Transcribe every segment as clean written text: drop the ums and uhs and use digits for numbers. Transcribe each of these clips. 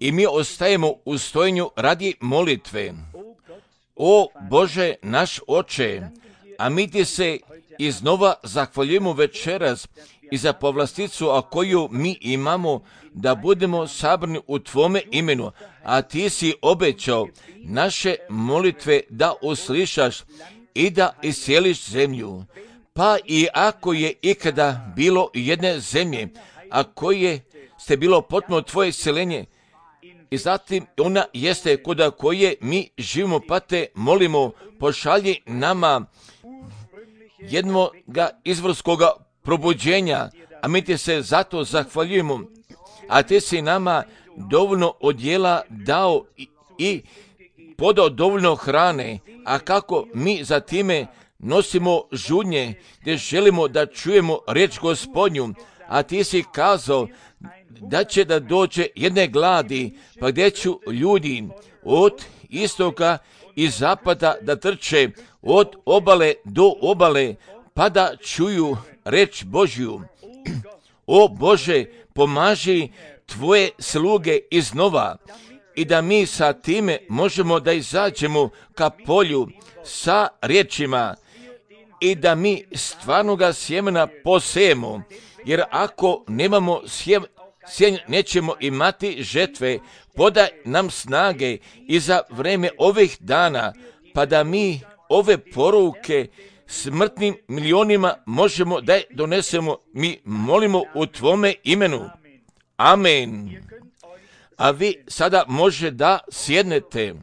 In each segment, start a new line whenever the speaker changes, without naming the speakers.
I mi ostajemo u stojenju radi molitve. O Bože, naš Oče, a mi ti se iznova zahvaljujemo večeras i za povlasticu, a koju mi imamo, da budemo sabrani u Tvome imenu, a Ti si obećao naše molitve da uslišaš i da iscijeliš zemlju. Pa i ako je ikada bilo jedne zemlje, a koje ste bilo potpuno Tvoje isceljenje, i zatim ona jeste kod koje mi živimo, pa te molimo, pošalji nama jednoga izvorskoga probuđenja, a mi ti se zato zahvaljujemo, a ti si nama dovoljno odjela dao i podao dovoljno hrane, a kako mi za time nosimo žudnje, gdje želimo da čujemo riječ Gospodnju, a ti si kazao da će da dođe jedne gladi, pa gdje ću ljudi od istoka i zapada da trče od obale do obale, pa da čuju reč Božju. O Bože, pomaži Tvoje sluge iznova i da mi sa time možemo da izađemo ka polju sa riječima i da mi stvarnoga sjemena posejemo, jer ako nemamo sjeme, nećemo imati žetve. Podaj nam snage i za vreme ovih dana, pa da mi ove poruke smrtnim milionima možemo da je donesemo. Mi molimo u Tvome imenu. Amen. A vi sada može da sjednete.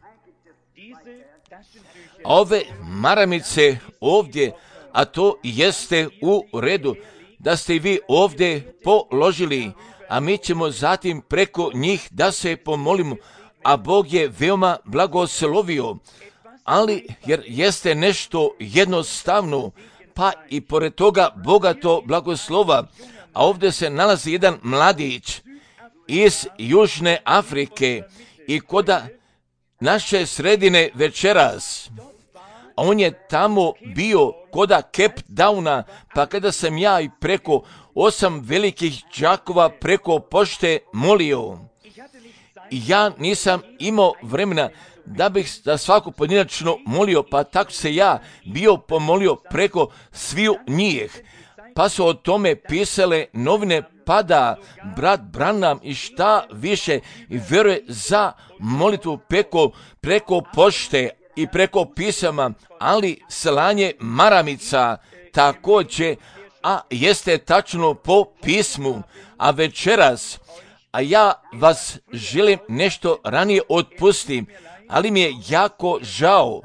Ove maramice ovdje, a to jeste u redu, da ste vi ovdje položili, a mi ćemo zatim preko njih da se pomolimo, a Bog je veoma blagoslovio, ali jer jeste nešto jednostavno, pa i pored toga bogato blagoslova, a ovdje se nalazi jedan mladić iz Južne Afrike i koda naše sredine večeras, a on je tamo bio koda Cape Towna, pa kada sam ja i preko 8 velikih đakova preko pošte molio, ja nisam imao vremena da bih za svaku pojedinačno molio, pa tako se ja bio pomolio preko sviju njih, pa su o tome pisale novine, pada brat Branham i šta više i vjeruje za molitvu preko pošte i preko pisama, ali slanje maramica također, a jeste tačno po pismu. A večeras, a ja vas želim nešto ranije otpustim, ali mi je jako žao,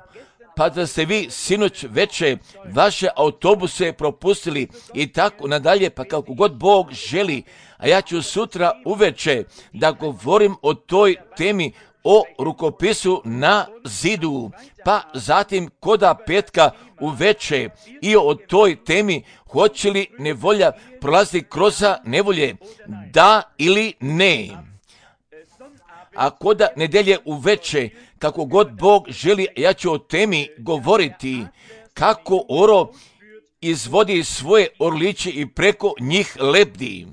pa da ste vi sinoć veče vaše autobuse propustili i tako nadalje, pa kako god Bog želi, a ja ću sutra uveče da govorim o toj temi, o rukopisu na zidu, pa zatim koda petka uveče i o toj temi, hoće li nevolja prolaziti kroz nevolje, da ili ne. A koda nedelje uveče, kako god Bog želi, ja ću o temi govoriti, kako oro izvodi svoje orliće i preko njih lebdi.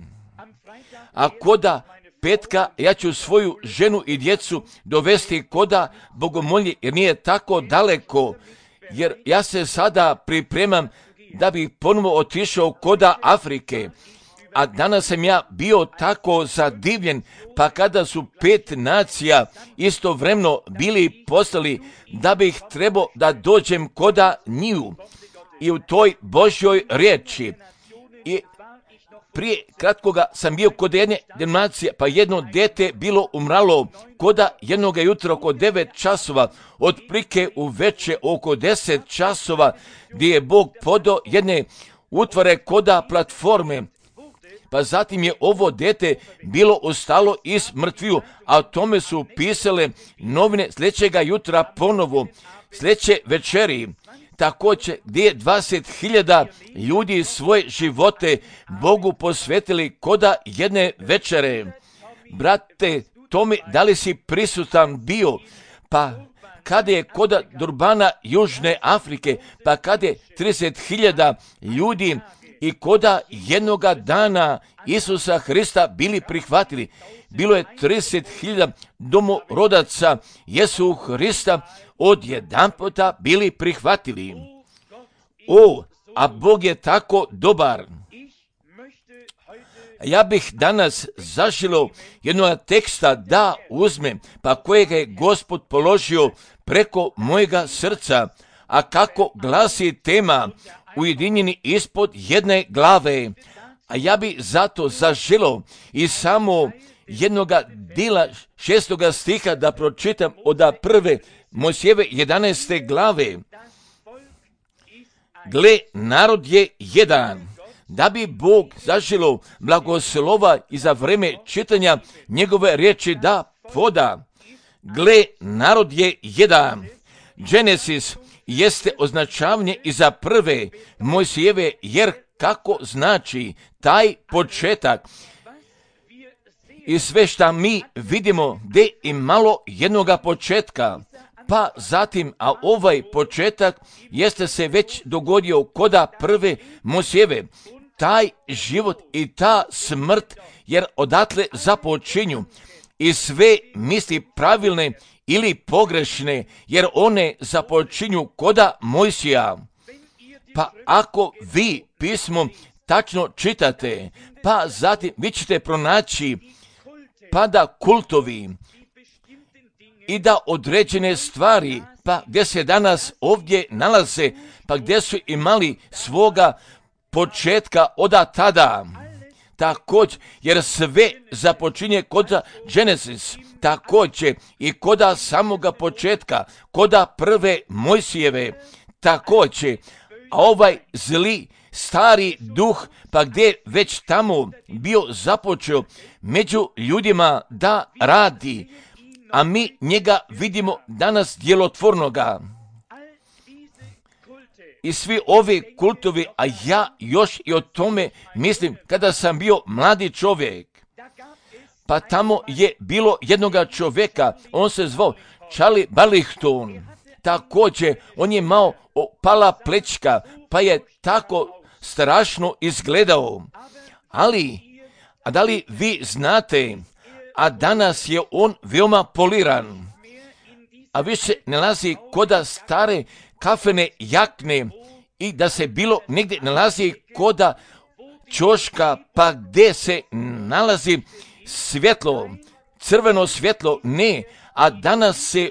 A koda petka, ja ću svoju ženu i djecu dovesti koda bogomolje, jer nije tako daleko, jer ja se sada pripremam da bih ponovo otišao koda Afrike. A danas sam ja bio tako zadivljen, pa kada su 5 nacija istovremeno bili poslali da bih trebao da dođem koda njiju i u toj Božjoj riječi. I prije kratkoga sam bio kod jedne denominacije, pa jedno dete bilo umralo koda jednoga jutra oko 9 časova, otprilike uveče oko 10 časova, gdje je Bog podao jedne utvare koda platforme. Pa zatim je ovo dete bilo ostalo iz mrtviju, a o tome su pisale novine sljedećega jutra ponovo, sljedeće večeri. Također gdje je 20.000 ljudi svoje živote Bogu posvetili koda jedne večere. Brate Tomi, da li si prisutan bio? Pa kada je koda Durbana Južne Afrike, pa kada je 30.000 ljudi i koda jednoga dana Isusa Hrista bili prihvatili. Bilo je 30.000 domorodaca Jesu Hrista odjedanputa bili prihvatili. A Bog je tako dobar. Ja bih danas zaželio jednog teksta da uzmem, pa kojega je Gospod položio preko mojega srca, a kako glasi tema ujedinjeni ispod jedne glave. A ja bi zato zaželio i samo jednoga dela 6. stiha da pročitam od prve Mojsijeve 11. glave. Gle, narod je jedan, da bi Bog zaželio blagoslova i za vreme čitanja njegove riječi da poda. Gle, narod je jedan. Genesis jeste označavanje iza prve Mojsijeve, jer kako znači taj početak i sve šta mi vidimo gdje i malo jednoga početka, pa zatim, a ovaj početak jeste se već dogodio koda prve Mojsijeve, taj život i ta smrt, jer odatle započinju i sve misli pravilne ili pogrešne, jer one započinju koda Mojsija. Pa ako vi pismo tačno čitate, pa zatim vi ćete pronaći pa da kultovi i da određene stvari, pa gdje se danas ovdje nalaze, pa gdje su imali svoga početka od tada. Također, jer sve započinje kod Genesis, također i koda samoga početka, koda prve Mojsijeve, također, a ovaj zli stari duh, pa gdje već tamo bio započeo među ljudima da radi, a mi njega vidimo danas djelotvornoga. I svi ovi kultovi, a ja još i o tome mislim kada sam bio mladi čovjek. Pa tamo je bilo jednoga čovjeka, on se zvao Charlie Barlington. Također, on je imao opala plečka, pa je tako strašno izgledao. Ali, a da li vi znate, a danas je on veoma poliran, a više nalazi koda stare kafene jakne i da se bilo negdje nalazi koda ćoška, pa gdje se nalazi svjetlo, crveno svjetlo, ne, a danas se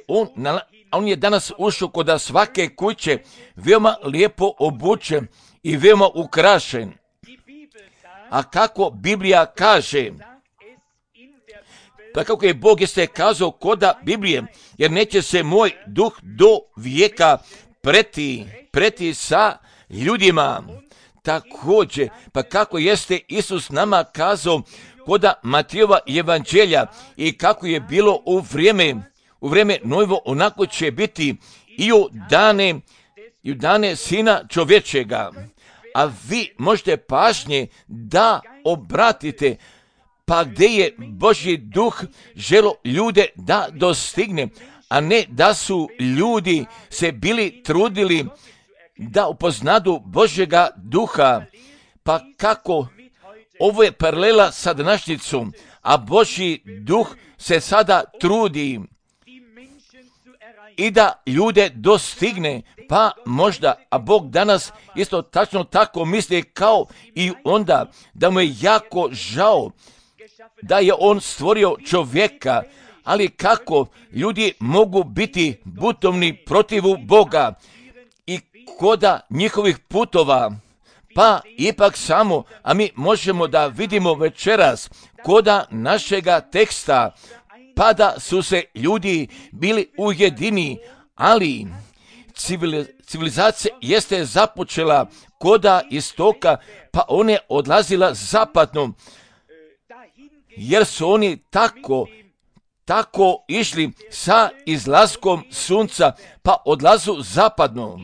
on je danas ušao koda svake kuće, veoma lijepo obučen i veoma ukrašen. A kako Biblija kaže, pa kako je Bog jeste kazao koda Biblije, jer neće se moj duh do vijeka preti sa ljudima. Također, pa kako jeste Isus nama kazao koda Matijeva evanđelja i kako je bilo u vrijeme Nojevo, onako će biti i u dane Sina čovječega. A vi možete pažnje da obratite, pa gdje je Božji duh želo ljude da dostigne, a ne da su ljudi se bili trudili da upoznadu Božjega duha. Pa kako ovo je paralela sa današnjicom, a Božji duh se sada trudi i da ljude dostigne, pa možda, a Bog danas isto tačno tako misli kao i onda, da mu je jako žao da je on stvorio čovjeka, ali kako ljudi mogu biti butovni protivu Boga i koda njihovih putova, pa ipak samo, a mi možemo da vidimo večeras koda našega teksta, pa da su se ljudi bili ujedini, ali civilizacija jeste započela koda istoka, pa ona je odlazila zapadno, jer su oni tako išli sa izlaskom sunca, pa odlazu zapadno.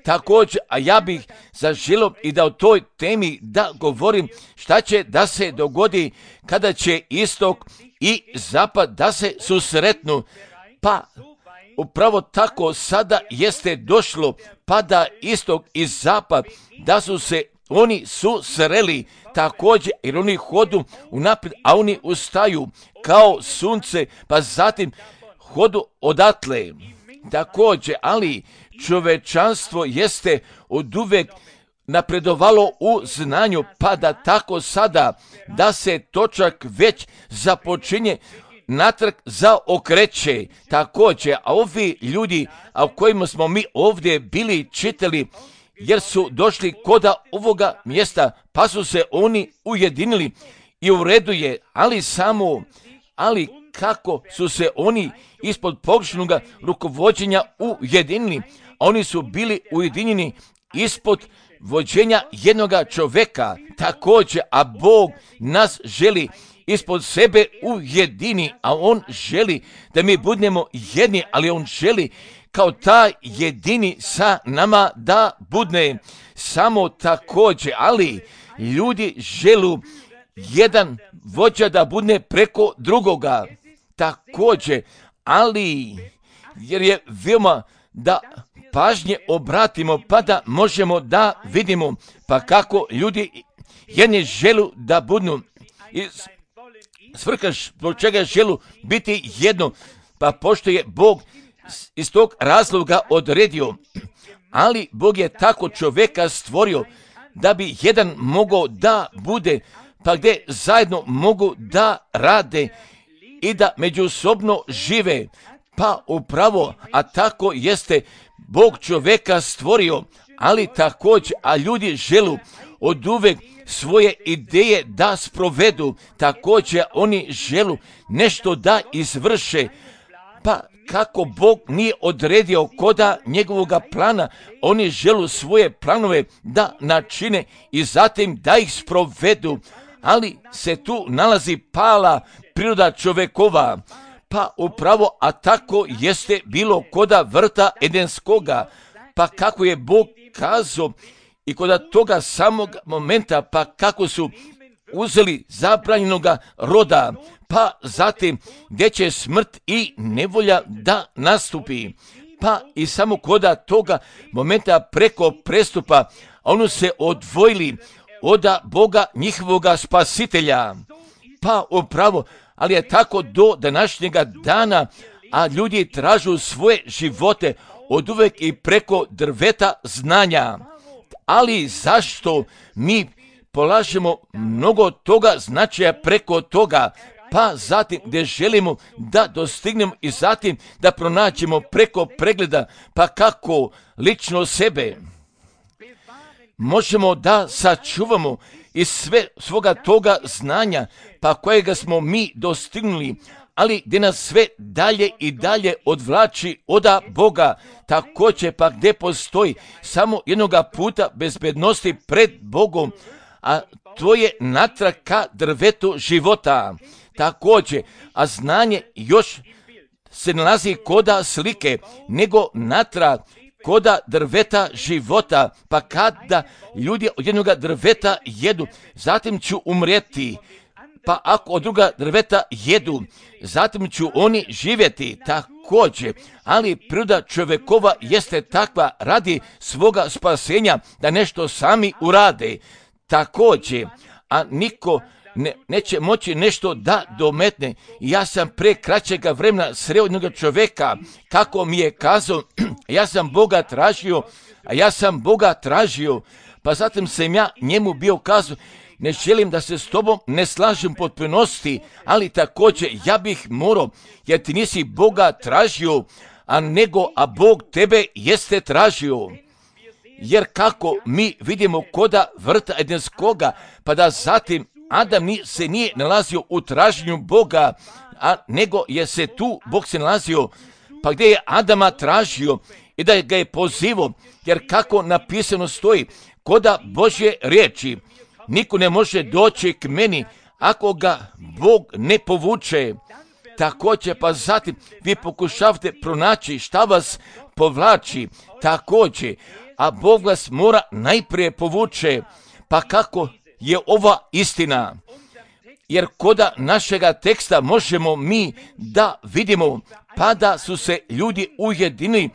Također, a ja bih zaželio i da o toj temi da govorim šta će da se dogodi kada će istok i zapad da se susretnu. Pa upravo tako sada jeste došlo, pa da istok i zapad da su se oni su sreli također, jer oni hodu unaprijed, a oni ustaju kao sunce, pa zatim hodu odatle. Također, ali čovečanstvo jeste oduvek napredovalo u znanju, pa da tako sada, da se točak već započinje natrag zaokreće. Također, a ovi ljudi, a o kojima smo mi ovdje bili čitali, jer su došli koda ovoga mjesta, pa su se oni ujedinili i u redu je, ali kako su se oni ispod pogrešnog rukovođenja ujedinili, oni su bili ujedinjeni ispod vođenja jednoga čovjeka, također, a Bog nas želi ispod sebe ujedini, a On želi da mi budemo jedni, ali On želi kao taj jedini sa nama da budne samo također, ali ljudi želu jedan vođa da budne preko drugoga, također, ali jer je veoma da pažnje obratimo, pa da možemo da vidimo, pa kako ljudi jedni želu da budnu i svrha zbog čega želu biti jedno, pa pošto je Bog iz tog razloga odredio, ali Bog je tako čovjeka stvorio da bi jedan mogao da bude, pa gdje zajedno mogu da rade i da međusobno žive, pa upravo, a tako jeste Bog čovjeka stvorio, ali također, a ljudi želu oduvek svoje ideje da sprovedu, također oni želu nešto da izvrše, pa kako Bog nije odredio koda njegovoga plana, oni želu svoje planove da načine i zatim da ih sprovedu, ali se tu nalazi pala priroda čovjekova, pa upravo, a tako jeste bilo koda vrta Edenskoga, pa kako je Bog kazao i koda toga samog momenta, pa kako su uzeli zabranjenoga roda, pa zatim gdje će smrt i nevolja da nastupi, pa i samo koda toga momenta preko prestupa, oni se odvojili od Boga njihovoga spasitelja, pa upravo, ali je tako do današnjega dana, a ljudi tražu svoje živote oduvek i preko drveta znanja. Ali zašto mi polažemo mnogo toga značaja preko toga, pa zatim gdje želimo da dostignemo i zatim da pronađemo preko pregleda, pa kako lično sebe možemo da sačuvamo iz svoga toga znanja, pa kojega smo mi dostignuli, ali gdje nas sve dalje i dalje odvlači od Boga, također pa gdje postoji samo jednoga puta bezbednosti pred Bogom, a to je natrag ka drvetu života. Također, a znanje još se nalazi koda slike, nego natrag koda drveta života, pa kada ljudi od jednoga drveta jedu, zatim ću umrijeti, pa ako od druga drveta jedu, zatim ću oni živjeti također, ali priroda čovjekova jeste takva radi svoga spasenja da nešto sami urade također, a niko neće moći nešto da dometne. Ja sam pre kraćega vremena sreo jednog čovjeka, kako mi je kazao, ja sam Boga tražio, pa zatim sam ja njemu bio kazao, ne želim da se s tobom ne slažem potpunosti, ali također ja bih morao, jer ti nisi Boga tražio, a Bog tebe jeste tražio. Jer kako mi vidimo koda vrta Edenskoga, pa da zatim Adam se nije nalazio u traženju Boga, nego je se tu Bog se nalazio, pa gdje je Adama tražio i da ga je pozivao, jer kako napisano stoji, koda Božje riječi, niko ne može doći k meni ako ga Bog ne povuče. Također, pa zatim vi pokušavate pronaći šta vas povlači, također, a Bog vas mora najprije povuče, pa kako je ova istina. Jer koda našega teksta možemo mi da vidimo, pa da su se ljudi ujedinili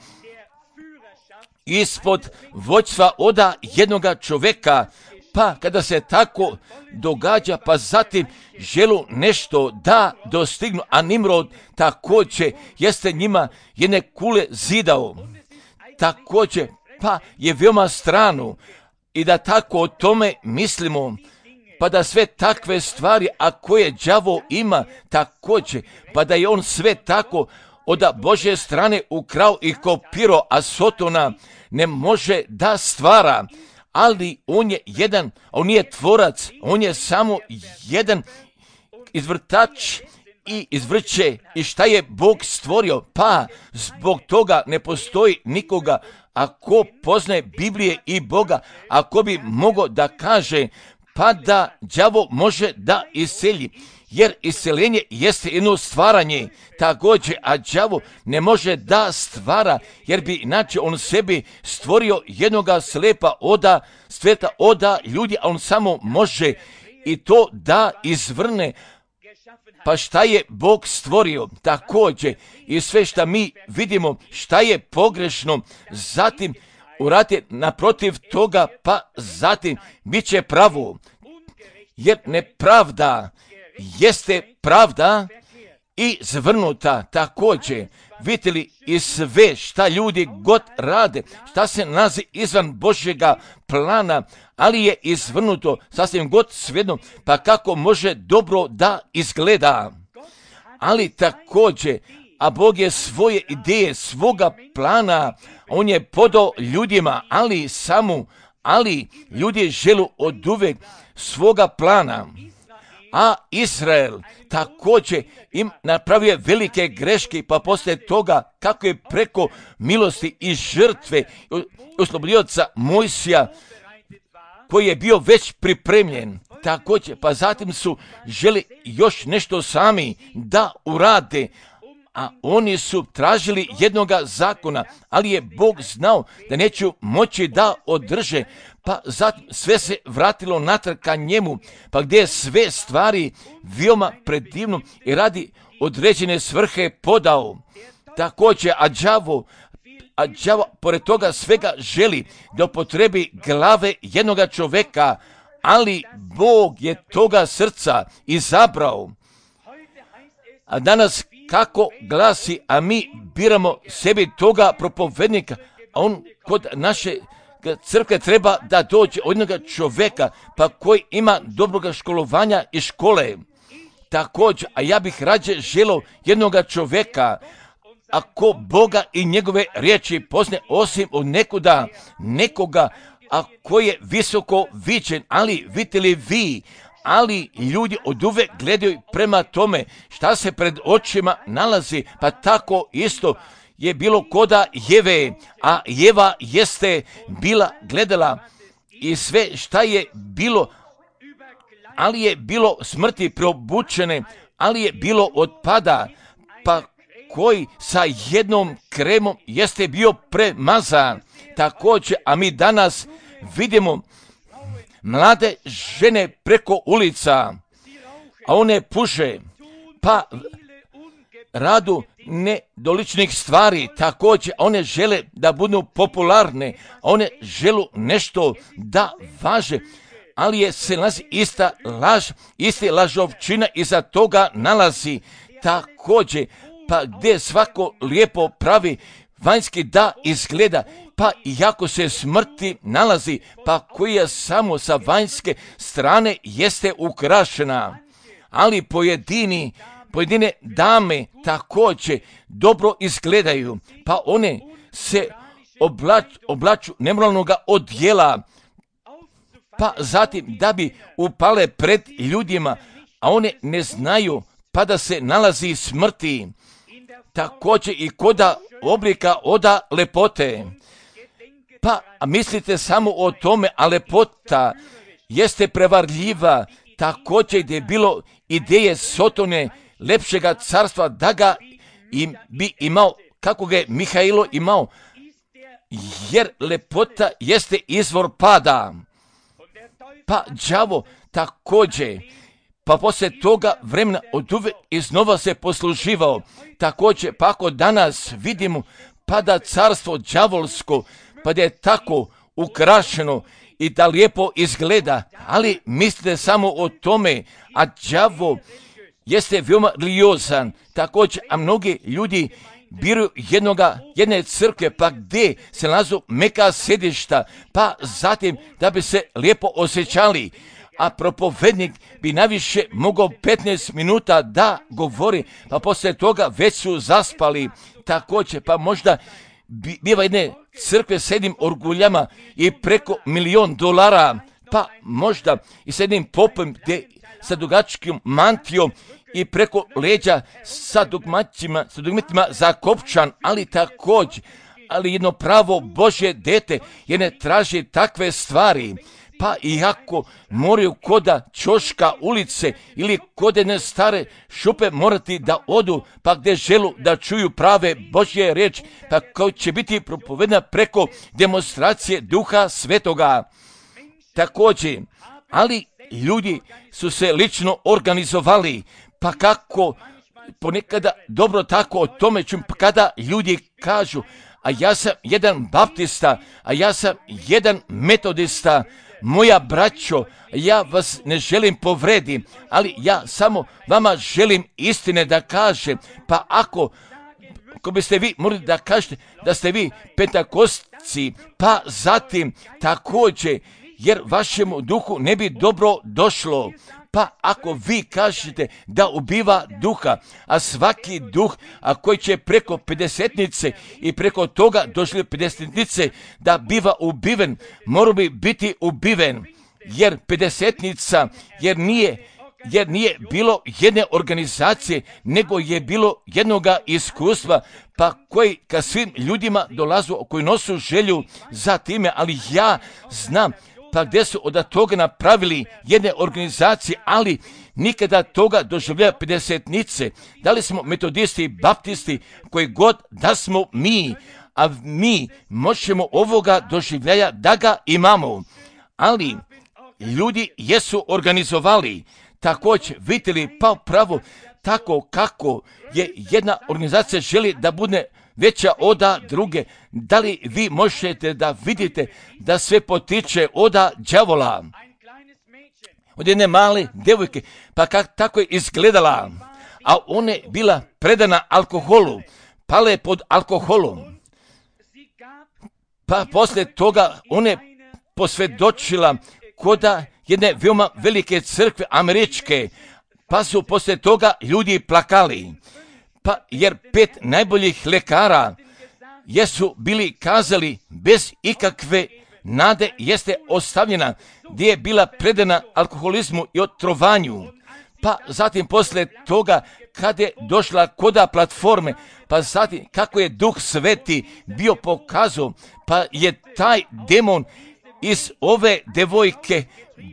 ispod vođstva oda jednoga čovjeka, Pa kada se tako događa, pa zatim želu nešto da dostignu, a Nimrod također jeste njima jedne kule zidao. Također, pa je veoma strano i da tako o tome mislimo, pa da sve takve stvari, a koje đavo ima također, pa da je on sve tako od Božje strane ukrao i kopirao, a Sotona ne može da stvara. Ali on je jedan, on nije tvorac, on je samo jedan izvrtač i izvrće. I šta je Bog stvorio? Pa zbog toga ne postoji nikoga, ako poznaje Biblije i Boga, ako bi mogao da kaže, pa da đavo može da iselji. Jer iseljenje jeste jedno stvaranje također, a đavo ne može da stvara, jer bi inače on sebi stvorio jednoga slepa sveta oda ljudi, a on samo može i to da izvrne. Pa šta je Bog stvorio također i sve šta mi vidimo šta je pogrešno, zatim uradi naprotiv toga, pa zatim bit će pravo. Jer nepravda jeste pravda i zvrnuta također. Vidite li i sve šta ljudi god rade, šta se nalazi izvan Božjega plana, ali je izvrnuto sasvim god svejedno, pa kako može dobro da izgleda. Ali također, a Bog je svoje ideje, svoga plana, on je podao ljudima, ali ljudi žele oduvek svoga plana. A Izrael također im napravio velike greške, pa poslije toga kako je preko milosti i žrtve oslobodioca Mojsija, koji je bio već pripremljen, također, pa zatim su želi još nešto sami da urade, a oni su tražili jednoga zakona, ali je Bog znao da neću moći da održe, pa zatim sve se vratilo natrag ka njemu, pa gdje je sve stvari veoma predivno i radi određene svrhe podao. Također, a đavo pored toga svega želi da upotrebi glave jednoga čoveka, ali Bog je toga srca izabrao. A danas kako glasi, a mi biramo sebi toga propovednika, a on kod naše crkve treba da dođe od jednoga čoveka, pa koji ima dobroga školovanja i škole. Također, a ja bih rađe želio jednoga čoveka, ako Boga i njegove riječi poznaje, osim od nekoga, a koji je visoko viđen, ali vidite li vi, ali ljudi oduvek gledaju prema tome šta se pred očima nalazi, pa tako isto je bilo koda Jeve, a Jeva jeste bila gledala i sve šta je bilo, ali je bilo smrti preobučene, ali je bilo otpada, pa koji sa jednom kremom jeste bio premazan. Također, a mi danas vidimo mlade žene preko ulica, a one puše, pa radu nedoličnih stvari, također one žele da budu popularne, one žele nešto da važe, ali je se nalazi ista laž, ista lažovčina iza toga nalazi također, pa gdje svako lijepo pravi vanjski da izgleda, pa iako se smrti nalazi, pa koja samo sa vanjske strane jeste ukrašena, ali pojedine dame također dobro izgledaju, pa one se oblaču nemoralnoga odjela, pa zatim da bi upale pred ljudima, a one ne znaju pa da se nalazi smrti, također i koda oblika oda lepote. Pa mislite samo o tome, a lepota jeste prevarljiva, također gdje je bilo ideje Sotone, lepšega carstva, da ga bi imao, kako ga je Mihajlo imao, jer lepota jeste izvor pada. Pa đavo također, pa poslije toga vremena oduvek iznova se posluživao. Također, pa ako danas vidimo, pa da carstvo đavolsko, pa da je tako ukrašeno i da lijepo izgleda, ali mislite samo o tome, a đavo jeste veoma religiozan, također, a mnogi ljudi biraju jedne crkve, pa gdje se nalazu meka sjedišta, pa zatim da bi se lijepo osjećali, a propovednik bi najviše mogao 15 minuta da govori, pa poslije toga već su zaspali, također, pa možda biva jedne crkve s jednim orguljama i preko $1.000.000, pa možda i s jednim popom gdje sa dugačkim mantijom i preko leđa sa dugmetima za kopčan, ali također, ali jedno pravo Božje dete je ne traži takve stvari, pa iako moraju koda Ćoška ulice ili kod jedne stare šupe morati da odu, pa gdje želu da čuju prave Božje riječ, pa koja će biti propovedena preko demonstracije Duha Svetoga. Također, ali ljudi su se lično organizovali, pa kako ponekada dobro tako o tome čujem, kada ljudi kažu, a ja sam jedan baptista, a ja sam jedan metodista, moja braćo, ja vas ne želim povrediti, ali ja samo vama želim istine da kažem, pa ako biste vi morali da kažete da ste vi pentakostci, pa zatim također, jer vašemu duhu ne bi dobro došlo. Pa ako vi kažete da ubiva duha, a svaki duh, a koji će preko 50-nice i preko toga došli 50-nice da biva ubiven, mora bi biti ubiven, jer 50-nica, jer nije bilo jedne organizacije, nego je bilo jednoga iskustva, pa koji ka svim ljudima dolazu, koji nosu želju za time, ali ja znam, pa gdje su od toga napravili jedne organizacije, ali nikada toga doživljaja 50-nice. Da li smo metodisti, baptisti, koji god da smo mi, a mi možemo ovoga doživljaja da ga imamo. Ali ljudi jesu organizovali, također vidjeli pa pravo tako kako je jedna organizacija želi da bude veća oda druge. Da li vi možete da vidite da sve potiče oda đavola? Od jedne male djevojke, pa tako je izgledala, a ona je bila predana alkoholu, pala je pod alkoholom. Pa poslije toga ona je posvjedočila koda jedne veoma velike crkve američke, pa su poslije toga ljudi plakali. Pa jer 5 najboljih lekara jesu bili kazali bez ikakve nade jeste ostavljena, gdje je bila predana alkoholizmu i otrovanju. Pa zatim poslije toga kad je došla koda platforme, pa zatim kako je Duh Sveti bio pokazao, pa je taj demon iz ove devojke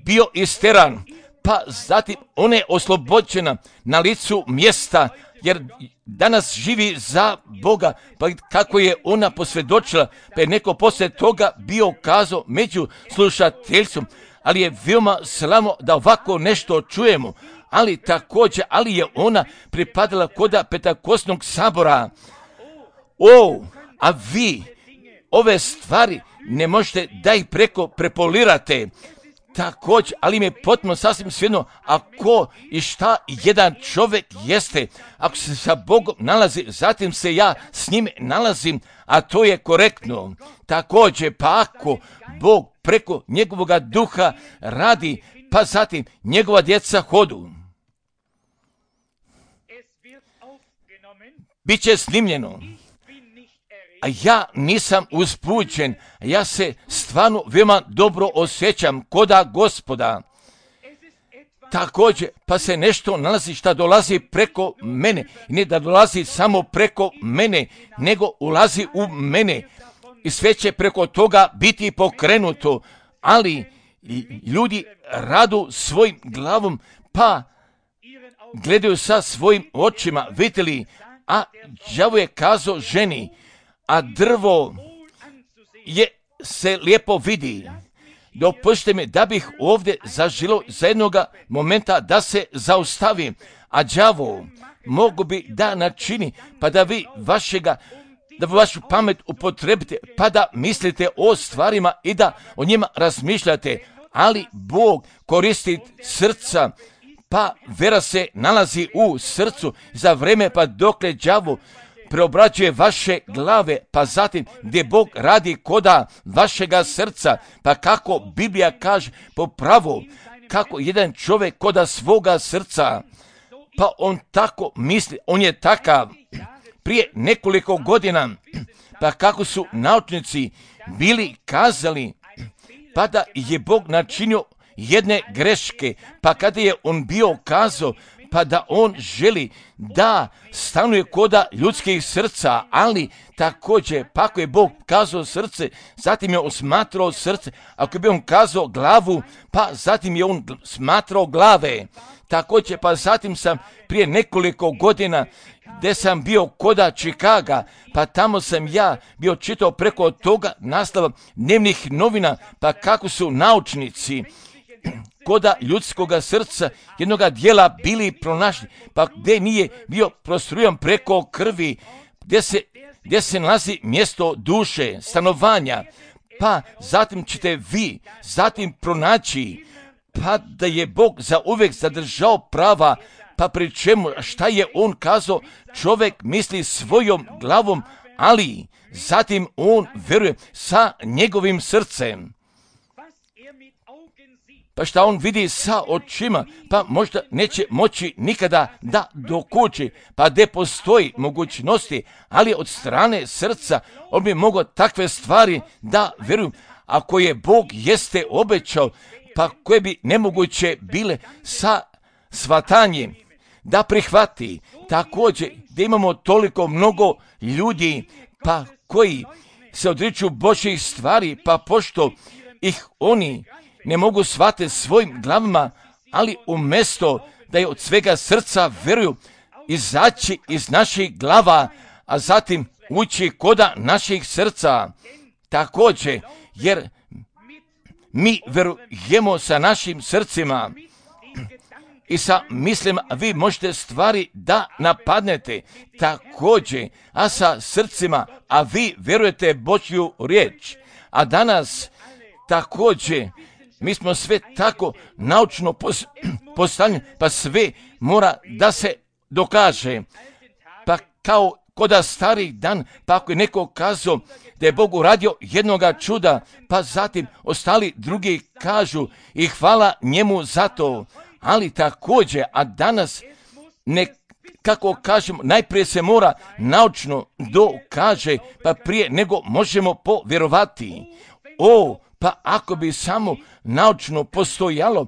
bio isteran, pa zatim ona je oslobođena na licu mjesta, jer danas živi za Boga, pa kako je ona posvjedočila, pa je neko poslije toga bio kazao među slušateljstvom, ali je veoma slavno da ovako nešto čujemo, ali također, ali je ona pripadala koda Pentakostnog sabora. A vi ove stvari ne možete da ih preko prepolirate. Također, ali mi je potpuno sasvim svejedno ako i šta jedan čovjek jeste, ako se sa Bogom nalazi, zatim se ja s njim nalazim, a to je korektno. Također, pa ako Bog preko njegovoga duha radi, pa zatim njegova djeca hodu, bit će snimljeno. A ja nisam uzbuđen, ja se stvarno veoma dobro osjećam koda Gospoda. Također, pa se nešto nalazi šta dolazi preko mene. Ne da dolazi samo preko mene, nego ulazi u mene. I sve će preko toga biti pokrenuto. Ali ljudi radu svojim glavom, pa gledaju sa svojim očima, vidjeli, a đavo je kazao ženi, a drvo se lijepo vidi. Dopustite mi da bih ovdje zažilo za jednoga momenta da se zaustavim, a đavo mogu bi da načini, pa da vi vašega da vašu pamet upotrebite, pa da mislite o stvarima i da o njima razmišljate, ali Bog koristi srca, pa vera se nalazi u srcu za vreme pa dokle đavo preobrađuje vaše glave, pa zatim gdje Bog radi koda vašega srca, pa kako Biblija kaže po pravu, kako jedan čovjek koda svoga srca, pa on tako misli, on je takav. Prije nekoliko godina, pa kako su naučnici bili kazali, pa da je Bog načinio jedne greške, pa kada je on bio kazao, pa da on želi da stanuje koda ljudskih srca, ali također, pa ako je Bog kazao srce, zatim je on smatrao srce, ako bi on kazao glavu, pa zatim je on smatrao glave. Također, pa zatim sam prije nekoliko godina gdje sam bio koda Čikaga, pa tamo sam ja bio čitao preko toga naslova dnevnih novina, pa kako su naučnici koda ljudskoga srca jednoga dijela bili pronašli, pa gdje nije bio prostrujan preko krvi, gdje se nalazi mjesto duše, stanovanja, pa zatim ćete vi zatim pronaći, pa da je Bog za uvijek zadržao prava, pa pri čemu, šta je on kazao, čovjek misli svojom glavom, ali zatim on vjeruje sa njegovim srcem. Pa šta on vidi sa očima, pa možda neće moći nikada da dokući, pa gdje postoji mogućnosti, ali od strane srca on bi mogao takve stvari da vjeruju, ako je Bog jeste obećao, pa koje bi nemoguće bile sa shvatanjem da prihvati. Također da imamo toliko mnogo ljudi, pa koji se odriču Božjih stvari, pa pošto ih oni ne mogu shvatiti svojim glavama, ali umjesto da je od svega srca vjeruju, izaći iz naših glava, a zatim ući koda naših srca. Također, jer mi vjerujemo sa našim srcima i sa mislima, vi možete stvari da napadnete također, a sa srcima, a vi vjerujete Božju riječ. A danas također mi smo sve tako naučno postavljeni, pa sve mora da se dokaže. Pa kao koda starih dan, pa ako je neko kazao da je Bog uradio jednoga čuda, pa zatim ostali drugi kažu i hvala njemu za to. Ali također, a danas kako kažemo, najprije se mora naučno dokaže, pa prije nego možemo povjerovati. Pa ako bi samo naučno postojalo,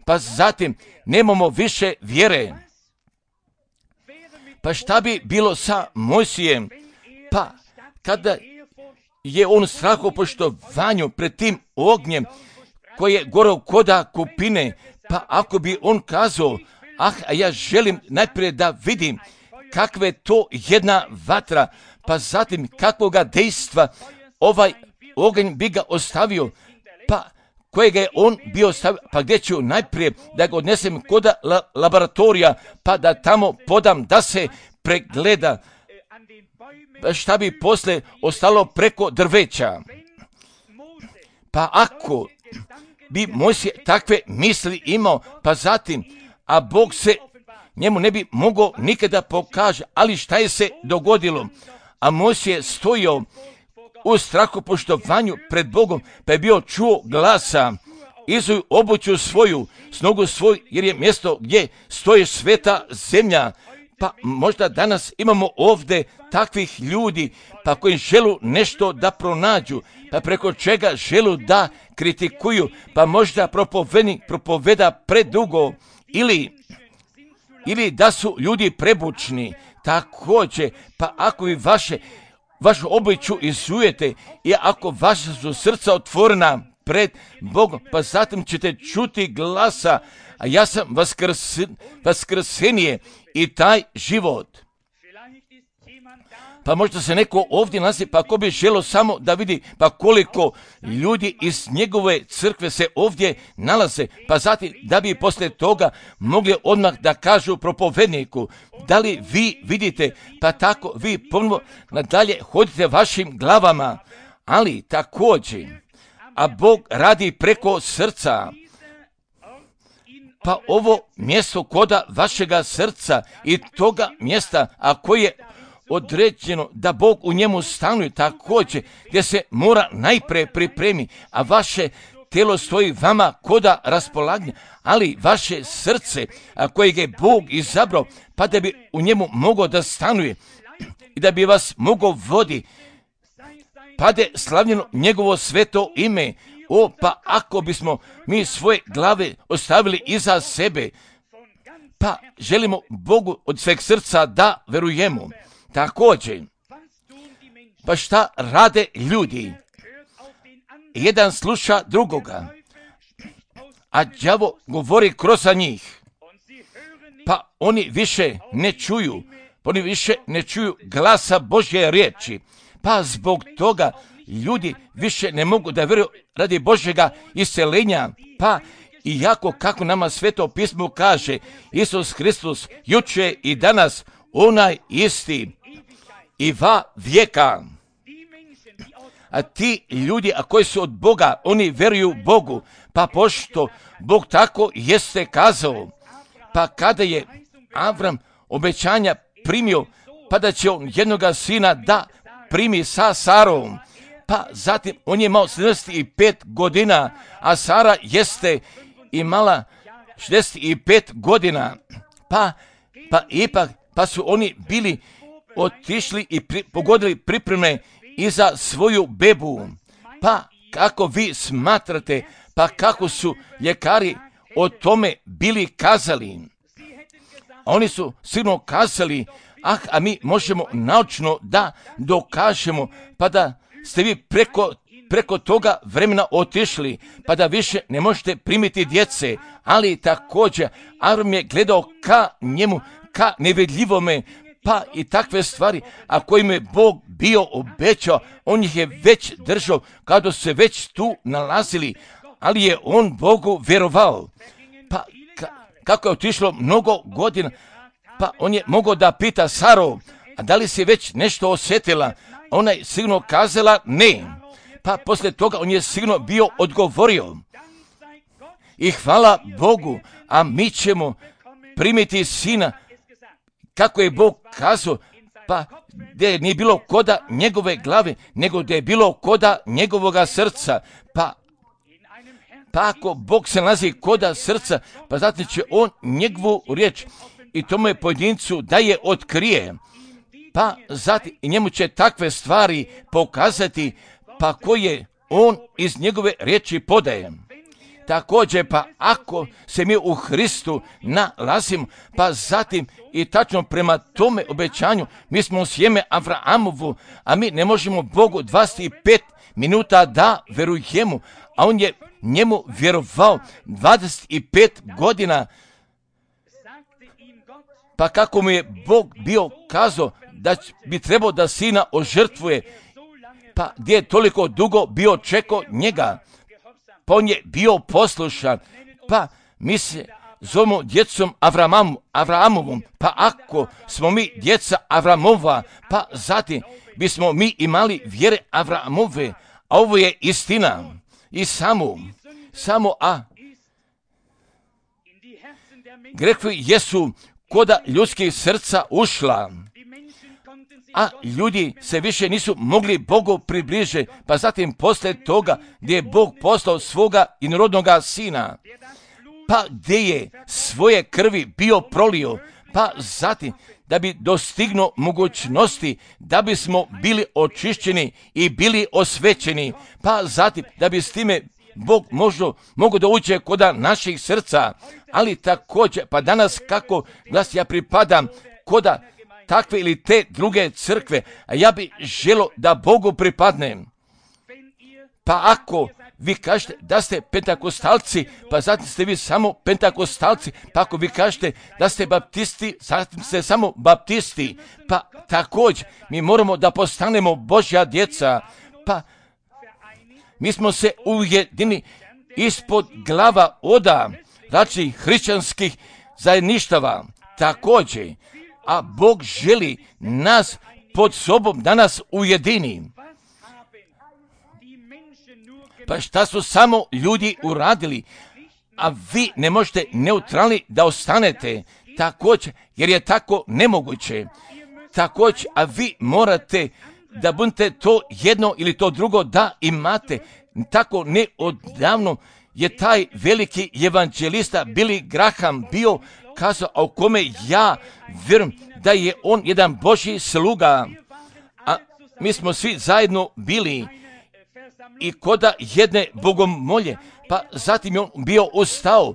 pa zatim nemamo više vjere. Pa šta bi bilo sa Mojsijem? Pa kada je on strahopoštovanju pred tim ognjem koji je goreo koda kupine, pa ako bi on kazao, a ja želim najprije da vidim kakva je to jedna vatra, pa zatim kakvoga dejstva ovaj oganj bi ga ostavio, pa kojega je on bio ostavio, pa gdje ću najprije da ga odnesem koda laboratorija, pa da tamo podam da se pregleda, pa šta bi posle ostalo preko drveća. Pa ako bi Mojsije takve misli imao, pa zatim, a Bog se njemu ne bi mogao nikada pokaže, ali šta je se dogodilo? A Mojsije stojio u strahopoštovanju pred Bogom, pa je bio čuo glasa, izuj obuću svoju, snogu svoju, jer je mjesto gdje stoji sveta zemlja. Pa možda danas imamo ovdje takvih ljudi, pa koji želu nešto da pronađu, pa preko čega želu da kritikuju, pa možda propovednik propoveda predugo, ili da su ljudi prebučni. Također, pa ako vi vašu obuću izujete i ako vaša su srca otvorena pred Bogom, pa zatim ćete čuti glasa, a ja sam vaskrsenije i taj život. Pa možda se neko ovdje nalazi, pa ko bi želio samo da vidi pa koliko ljudi iz njegove crkve se ovdje nalaze, pa zatim da bi poslije toga mogli odmah da kažu propovedniku, da li vi vidite, pa tako vi ponovno nadalje hodite vašim glavama, ali također, a Bog radi preko srca. Pa ovo mjesto koda vašega srca i toga mjesta, a koje je određeno da Bog u njemu stanuje također, gdje se mora najprije pripremi, a vaše tijelo stoji vama koda raspolaganja, ali vaše srce, a kojeg je Bog izabrao, pa da bi u njemu mogao da stanuje i da bi vas mogao vodi, pa da je slavljeno njegovo sveto ime. Pa ako bismo mi svoje glave ostavili iza sebe, pa želimo Bogu od sveg srca da verujemo. Također, pa šta rade ljudi? Jedan sluša drugoga, a đavo govori kroz njih. Pa oni više ne čuju, glasa Božje riječi. Pa zbog toga ljudi više ne mogu da vjeruju radi Božjega isceljenja. Pa iako kako nama Sveto pismo kaže, Isus Hristos juče i danas onaj isti i va vijeka. A ti ljudi, a koji su od Boga, oni vjeruju Bogu, pa pošto Bog tako jeste kazao, pa kada je Avram obećanja primio, pa da će on jednoga sina da primi sa Sarom, pa zatim on je imao 75 godina, a Sara jeste imala 65 godina, pa ipak, pa su oni bili otišli i pogodili pripreme i za svoju bebu. Pa kako vi smatrate, pa kako su ljekari o tome bili kazali? Oni su sigurno kazali, a mi možemo naučno da dokažemo, pa da ste vi preko toga vremena otišli, pa da više ne možete primiti djece, ali također Avram je gledao ka njemu, ka nevidljivome, pa i takve stvari, a kojim je Bog bio obećao, on ih je već držao, kada su se već tu nalazili, ali je on Bogu vjerovao. Pa kako je otišlo mnogo godina, pa on je mogao da pita Saru, a da li si već nešto osjetila? Ona je sigurno kazala ne. Pa poslije toga on je sigurno bio odgovorio. I hvala Bogu, a mi ćemo primiti sina, kako je Bog kazao, pa gdje nije bilo koda njegove glave, nego gdje je bilo koda njegovoga srca. Pa ako Bog se nalazi koda srca, pa zatim će on njegovu riječ i tome pojedincu da je otkrije. Pa zatim i njemu će takve stvari pokazati, pa koje on iz njegove riječi podaje. Također, pa ako se mi u Hristu nalazimo, pa zatim i tačno prema tome obećanju, mi smo sjeme Avrahamovu, a mi ne možemo Bogu 25 minuta da verujemo, a on je njemu vjerovao 25 godina. Pa kako mu je Bog bio kazao da bi trebao da sina ožrtvuje, pa gdje je toliko dugo bio čekao njega, pa on je bio poslušan, pa mi se zovemo djecom Avrahamovom, pa ako smo mi djeca Avramova, pa zatim bismo mi imali vjere Avramove, a ovo je istina i samo grehovi jesu koda ljudskih srca ušla, a ljudi se više nisu mogli Bogu približiti, pa zatim poslije toga gdje je Bog poslao svoga inorodnoga sina, pa gdje je svoje krvi bio prolio, pa zatim da bi dostignuo mogućnosti da bismo bili očišćeni i bili osvećeni, pa zatim da bi s time Bog mogu da uđe koda naših srca, ali također, pa danas kako glas ja pripadam koda takve ili te druge crkve, a ja bi želio da Bogu pripadnem. Pa ako vi kažete da ste pentakostalci, pa zatim ste vi samo pentakostalci, pa ako vi kažete da ste baptisti, zatim ste samo baptisti, pa također mi moramo da postanemo Božja djeca, pa mi smo se ujedini ispod glava oda različitih hrišćanskih zajedništava, također, a Bog želi nas pod sobom da nas ujedini. Pa šta su samo ljudi uradili, a vi ne možete neutralni da ostanete, također, jer je tako nemoguće. Također, a vi morate da budete to jedno ili to drugo da imate. Tako neodavno je taj veliki evanđelista Billy Graham bio kazao, a u kome ja vjerujem da je on jedan Božji sluga. A mi smo svi zajedno bili i koda jedne bogomolje, pa zatim je on bio ustao,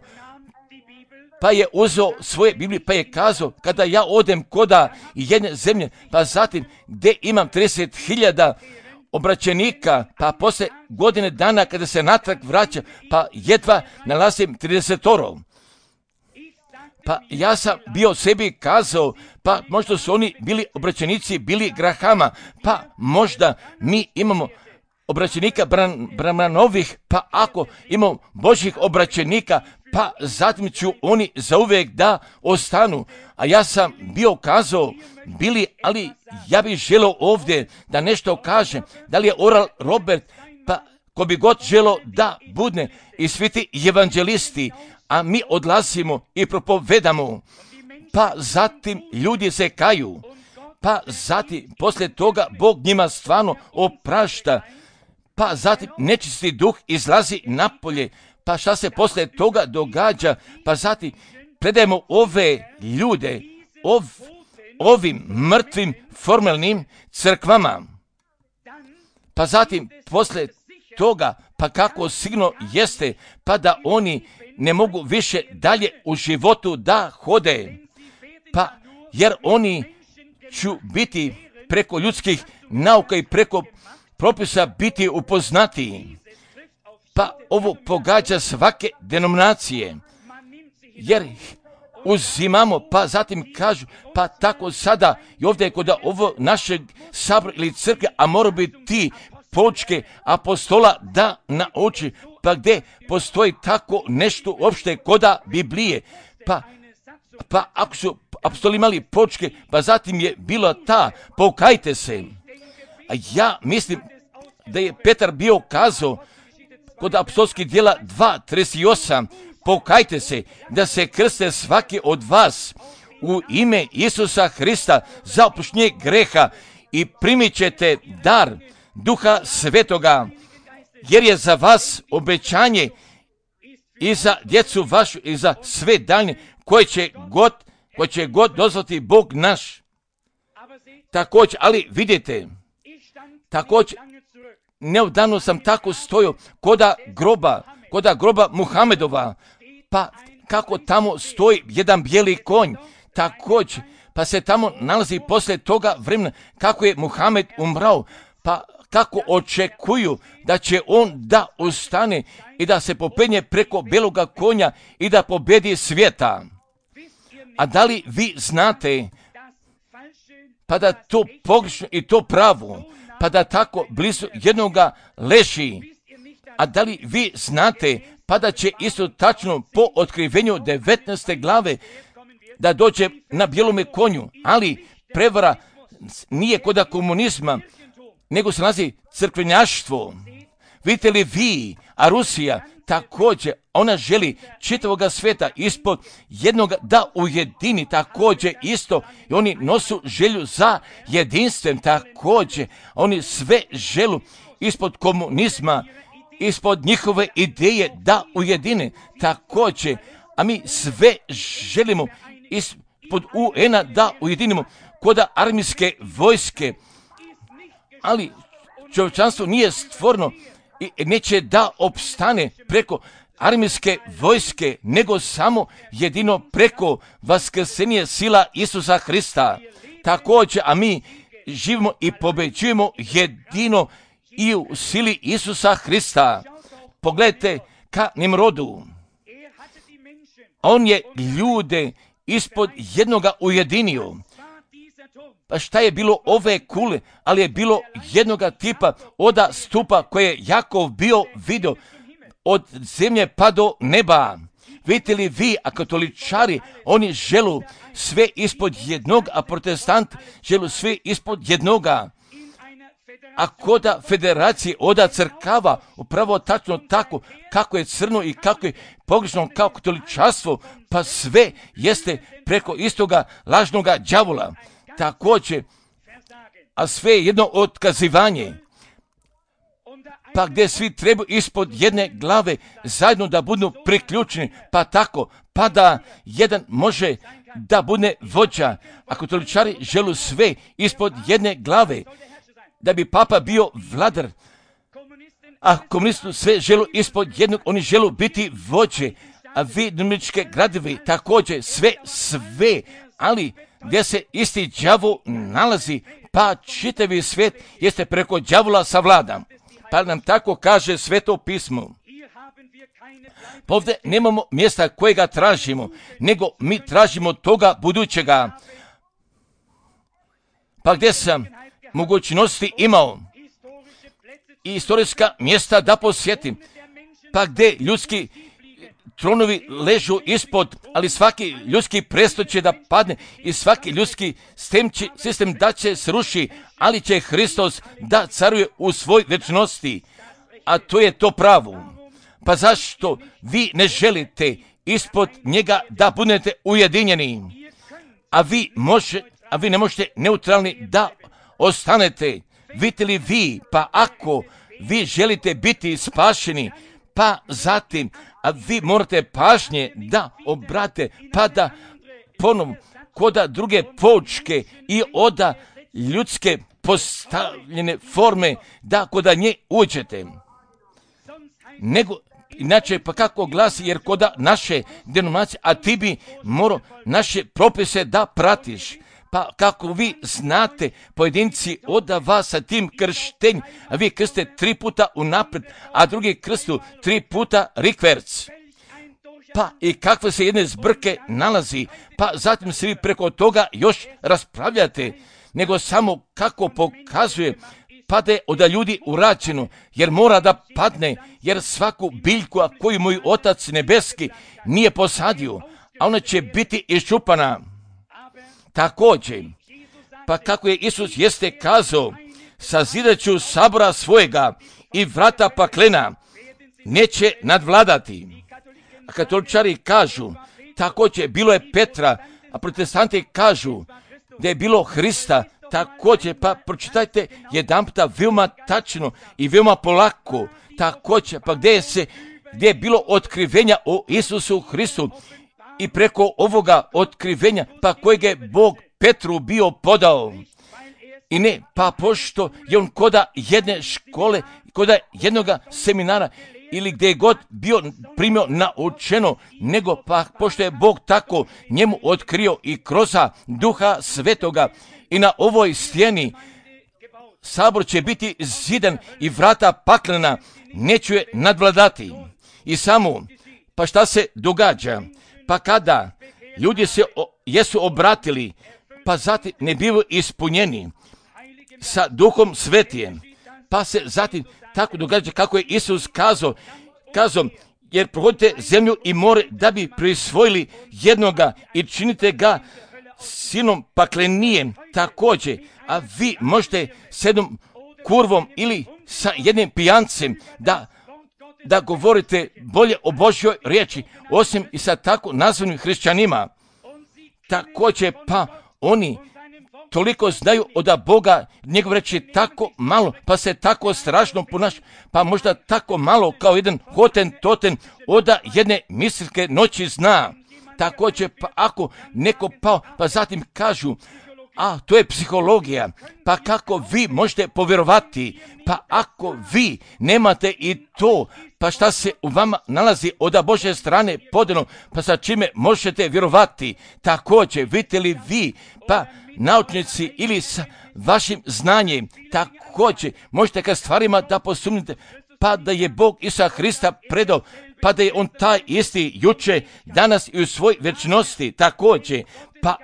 pa je uzeo svoje Biblije, pa je kazao, kada ja odem koda jedne zemlje, pa zatim gdje imam 30.000 obraćenika, pa posle godine dana kada se natrag vraća, pa jedva nalazim 30. Pa ja sam bio sebi kazao, pa možda su oni bili obraćenici Billy Grahama, pa možda mi imamo obraćenika Branhamovih, pa ako imamo Božjih obraćenika, pa zatim ću oni zauvijek da ostanu. A ja sam bio kazao, Billy, ali ja bih želio ovdje da nešto kažem, da li je Oral Robert, pa ko bi god želio da budne i svi ti evanđelisti, a mi odlazimo i propovedamo, pa zatim ljudi se kaju, pa zatim poslije toga Bog njima stvarno oprašta, pa zatim nečisti duh izlazi napolje, pa šta se poslije toga događa, pa zatim predajemo ove ljude ovim mrtvim formalnim crkvama, pa zatim poslije toga, pa kako sigurno jeste, pa da oni ne mogu više dalje u životu da hode, pa jer oni ću biti preko ljudskih nauka i preko propisa biti upoznati. Pa ovo pogađa svake denominacije, jer uzimamo, pa zatim kažu, pa tako sada i ovdje kod ovo našeg sabora ili crkve, a mora biti ti poučke apostola da nauči, pa gdje postoji tako nešto uopšte koda Biblije, pa ako su apostoli imali poučke, pa zatim je bilo ta, pokajte se. A ja mislim da je Petar bio kazao kod apostolskih djela 2:38, pokajte se da se krste svaki od vas u ime Isusa Hrista za oproštenje greha i primit ćete dar Duha Svetoga, jer je za vas obećanje i za djecu vašu i za sve daljnje koje će god dozvoliti Bog naš. Također, ali vidite, također, neodavno sam tako stojio koda groba Muhamedova, pa kako tamo stoji jedan bijeli konj, također, pa se tamo nalazi poslije toga vremena kako je Muhamed umrao, pa kako očekuju da će on da ustane i da se popenje preko beloga konja i da pobedi svijeta. A da li vi znate, pa da to pogrešno i to pravo, pa da tako blizu jednoga leži, a da li vi znate, pa da će isto tačno po otkrivenju 19. glave da dođe na bijelome konju, ali prevara nije koda komunizma, nego se nalazi crkvenjaštvo. Vidite li vi, a Rusija također, ona želi čitavoga sveta ispod jednoga da ujedini, također isto, i oni nosu želju za jedinstven, također, oni sve želu ispod komunizma, ispod njihove ideje da ujedine, također, a mi sve želimo ispod UN-a da ujedinimo koda armijske vojske, ali čovječanstvo nije stvorno i neće da opstane preko armijske vojske, nego samo jedino preko vaskrsenje sila Isusa Hrista. Također, a mi živimo i pobeđujemo jedino i u sili Isusa Hrista. pogledajte ka Nimrodu. On je ljude ispod jednoga ujedinio. Pa šta je bilo ove kule, ali je bilo jednoga tipa oda stupa koje je Jakov bio vidio od zemlje pa do neba. Vidite li vi, a katoličari, oni želu sve ispod jednog, a protestanti želu sve ispod jednoga. A koda federacije, oda crkava, upravo tačno tako, kako je crno i kako je pogrešno kao katoličarstvo, pa sve jeste preko istoga lažnoga đavola. Također, a sve je jedno otkazivanje. Pa gdje svi trebaju ispod jedne glave zajedno da budu priključeni, pa tako, pa da jedan može da bude vođa. A katoličari želu sve ispod jedne glave, da bi papa bio vladar. A komunisti sve želu ispod jednog, oni želu biti vođe. A vi, dominičke gradovi, također sve, ali gdje se isti đavo nalazi, pa čitavi svijet jeste preko đavola savladan. Pa nam tako kaže Sveto pismo. Pa ovdje nemamo mjesta kojega tražimo, nego mi tražimo toga budućega. Pa gdje sam mogućnosti imao i historijska mjesta da posjetim, pa gdje ljudski tronovi ležu ispod, ali svaki ljudski prestol će da padne i svaki ljudski sistem da će sruši, ali će Hristos da caruje u svoj večnosti, a to je to pravo. Pa zašto vi ne želite ispod njega da budete ujedinjeni, a vi ne možete neutralni da ostanete? Vidite li vi, pa ako vi želite biti spašeni, pa zatim, a vi morate pažnje da obrate, pa da ponovno koda druge poučke i oda ljudske postavljene forme, da koda nje uđete. Nego, inače, pa kako glasi, jer koda naše denominacije, a ti bi morao naše propise da pratiš. Pa kako vi znate, pojedinci oda vas sa tim krštenjem, a vi krste 3 puta unaprijed, a drugi krstu 3 puta rikverc. Pa i kakve se jedne zbrke nalazi, pa zatim se vi preko toga još raspravljate, nego samo kako pokazuje, pa da je od ljudi urađeno, jer mora da padne, jer svaku biljku koju moj Otac nebeski nije posadio, a ona će biti iščupana. Također, pa kako je Isus jeste kazao, sazidat ću sabora svojega i vrata paklena neće nadvladati. A katoličari kažu, također bilo je Petra, a protestanti kažu da je bilo Hrista, također, pa pročitajte jedan puta veoma tačno i veoma polako, također, pa gdje je bilo otkrivenja o Isusu Hristu, i preko ovoga otkrivenja, pa kojeg je Bog Petru bio podao. I ne, pa pošto je on koda jedne škole, koda jednoga seminara, ili gdje je god bio primio naučeno, nego pa pošto je Bog tako njemu otkrio i kroz Duha Svetoga, i na ovoj stijeni sabor će biti zidan i vrata paklena neće je nadvladati. I samo, pa šta se događa? Pa kada ljudi se jesu obratili, pa zatim ne bivaju ispunjeni sa Duhom Svetijem, pa se zatim tako događa kako je Isus kazao, jer prohodite zemlju i more da bi prisvojili jednoga i činite ga sinom paklenijem također, a vi možete s jednom kurvom ili sa jednim pijancem da govorite bolje o Božjoj riječi, osim i sa tako nazvanim hrišćanima. Također, pa oni toliko znaju od Boga, njegov reći tako malo, pa se tako strašno ponaša, pa možda tako malo kao jedan hotentoten od jedne mislike noći zna. Također, pa ako neko pao, pa zatim kažu, a to je psihologija, pa kako vi možete povjerovati, pa ako vi nemate i to, pa šta se u vama nalazi od Božje strane podano, pa sa čime možete vjerovati? Također, vidite li vi, pa naučnici ili sa vašim znanjem, također možete ka stvarima da posumnite, pa da je Bog Isusa Hrista predao, pa da je on taj isti juče, danas i u svoj večnosti također. Pa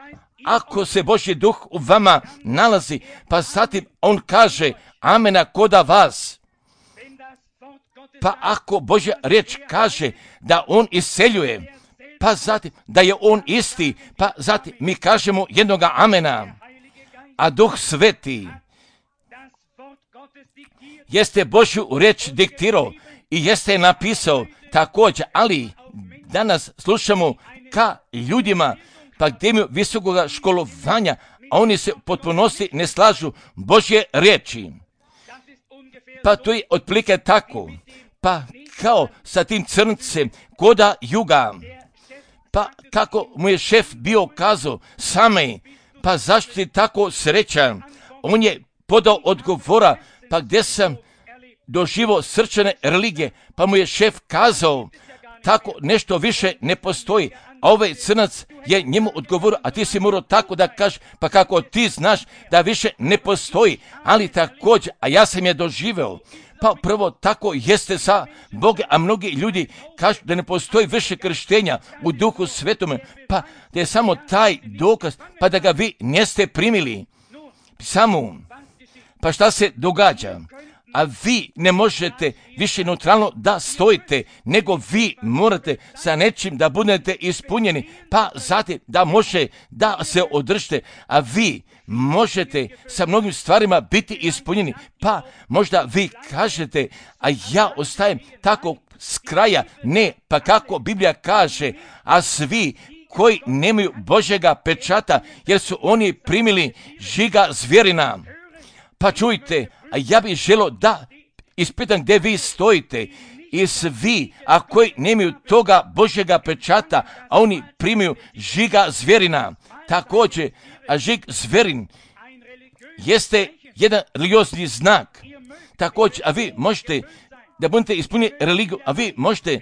ako se Božji duh u vama nalazi, pa zatim on kaže amena koda vas. Pa ako Božja riječ kaže da on iseljuje, pa zatim da je on isti, pa zatim mi kažemo jednoga amena. A Duh Sveti jeste Božju riječ diktirao i jeste je napisao također, ali danas slušamo ka ljudima, pa gdje imaju visokog školovanja, a oni se potpunosti ne slažu Božje riječi. Pa to je otprilike tako, pa kao sa tim crncem koda juga, pa kako mu je šef bio kazao same, pa zašto si tako srećan? On je podao odgovora, pa gdje sam doživio srčane religije, pa mu je šef kazao, tako nešto više ne postoji, a ovaj crnac je njemu odgovorio, a ti si morao tako da kažeš, pa kako ti znaš da više ne postoji, ali također, a ja sam je doživeo, pa prvo tako jeste sa Boga, a mnogi ljudi kažu da ne postoji više krštenja u Duhu Svetome, pa da je samo taj dokaz, pa da ga vi niste primili. Samo, pa šta se događa? A vi ne možete više neutralno da stojite, nego vi morate sa nečim da budete ispunjeni, pa zatim da može da se održite, a vi možete sa mnogim stvarima biti ispunjeni, pa možda vi kažete, a ja ostajem tako s kraja, ne, pa kako Biblija kaže, a svi koji nemaju Božjega pečata, jer su oni primili žiga zvjerina. Pa čujte, a ja bih želio da ispitam gdje vi stojite i svi, a koji nemaju toga Božjega pečata, a oni primaju žiga zvjerina. Također, a žig zvjerin jeste jedan religiozni znak. Također, a vi možete da budete ispunili religiju, a vi možete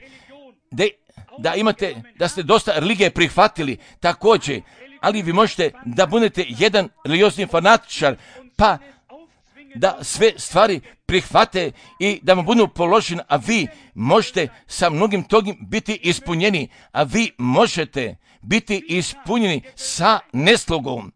da imate, da ste dosta religije prihvatili, također, ali vi možete da budete jedan religiozni fanatičar, pa da sve stvari prihvate i da vam budu položene, a vi možete sa mnogim togim biti ispunjeni, a vi možete biti ispunjeni sa neslugom.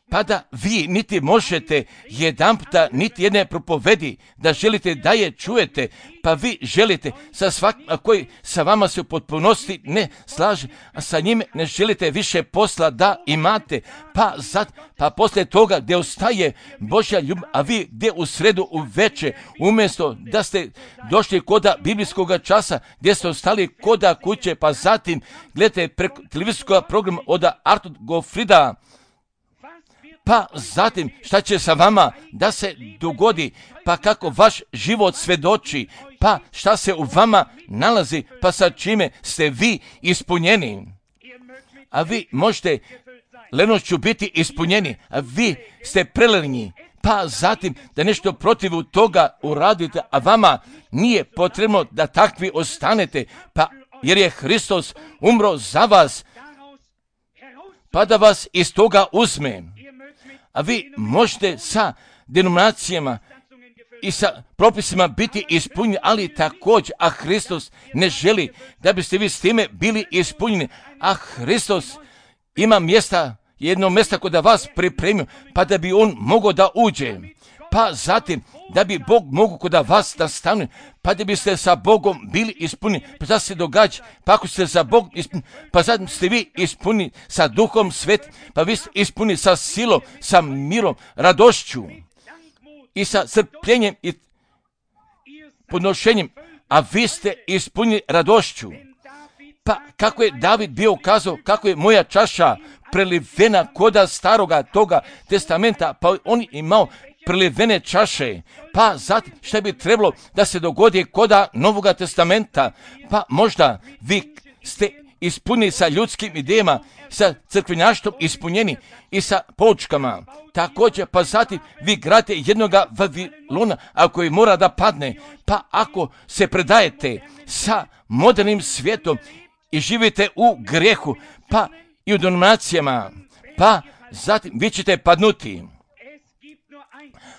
Pa da vi niti možete jedanputa niti jedne propovedi da želite da je čujete, pa vi želite sa svakim koji sa vama se u potpunosti ne slaže, a sa njime ne želite više posla da imate, pa poslije toga gdje ostaje Božja ljubav, a vi gdje u sredu u veče, umjesto da ste došli koda biblijskog časa, gdje ste ostali koda kuće, pa zatim gledate preko televizijskog programa od Artur Gofrida, pa zatim šta će sa vama da se dogodi, pa kako vaš život svedoči, pa šta se u vama nalazi, pa sa čime ste vi ispunjeni. A vi možete lenošću biti ispunjeni, a vi ste prelenji, pa zatim da nešto protiv toga uradite, a vama nije potrebno da takvi ostanete, pa jer je Hristos umro za vas, pa da vas iz toga uzme. A vi možete sa denominacijama i sa propisima biti ispunjeni, ali također, a Hristos ne želi da biste vi s time bili ispunjeni, a Hristos ima mjesta, jedno mjesta kod da vas pripremio, pa da bi on mogao da uđe, pa zatim da bi Bog mogao kod da vas da stane, pa da biste sa Bogom bili ispunjeni. Pa šta se događa? Pa ako ste sa Bogom ispunjeni, pa zatim ste vi ispunjeni sa Duhom Svetim, pa vi ste ispunjeni sa silom, sa mirom, radošću i sa crpljenjem i podnošenjem, a vi ste ispunjeni radošću. Pa kako je David bio kazao, kako je moja čaša prelivena koda staroga toga testamenta, pa on imao prelivene čaše, pa zatim šta bi trebalo da se dogodi koda Novoga testamenta, pa možda vi ste ispunjeni sa ljudskim idejama, sa crkvenjaštvom ispunjeni i sa poučkama. Također, pa zatim vi gradite jednoga Vavilona, a koji mora da padne, pa ako se predajete sa modernim svijetom i živite u grijehu, pa i u denominacijama, pa zatim vi ćete padnuti.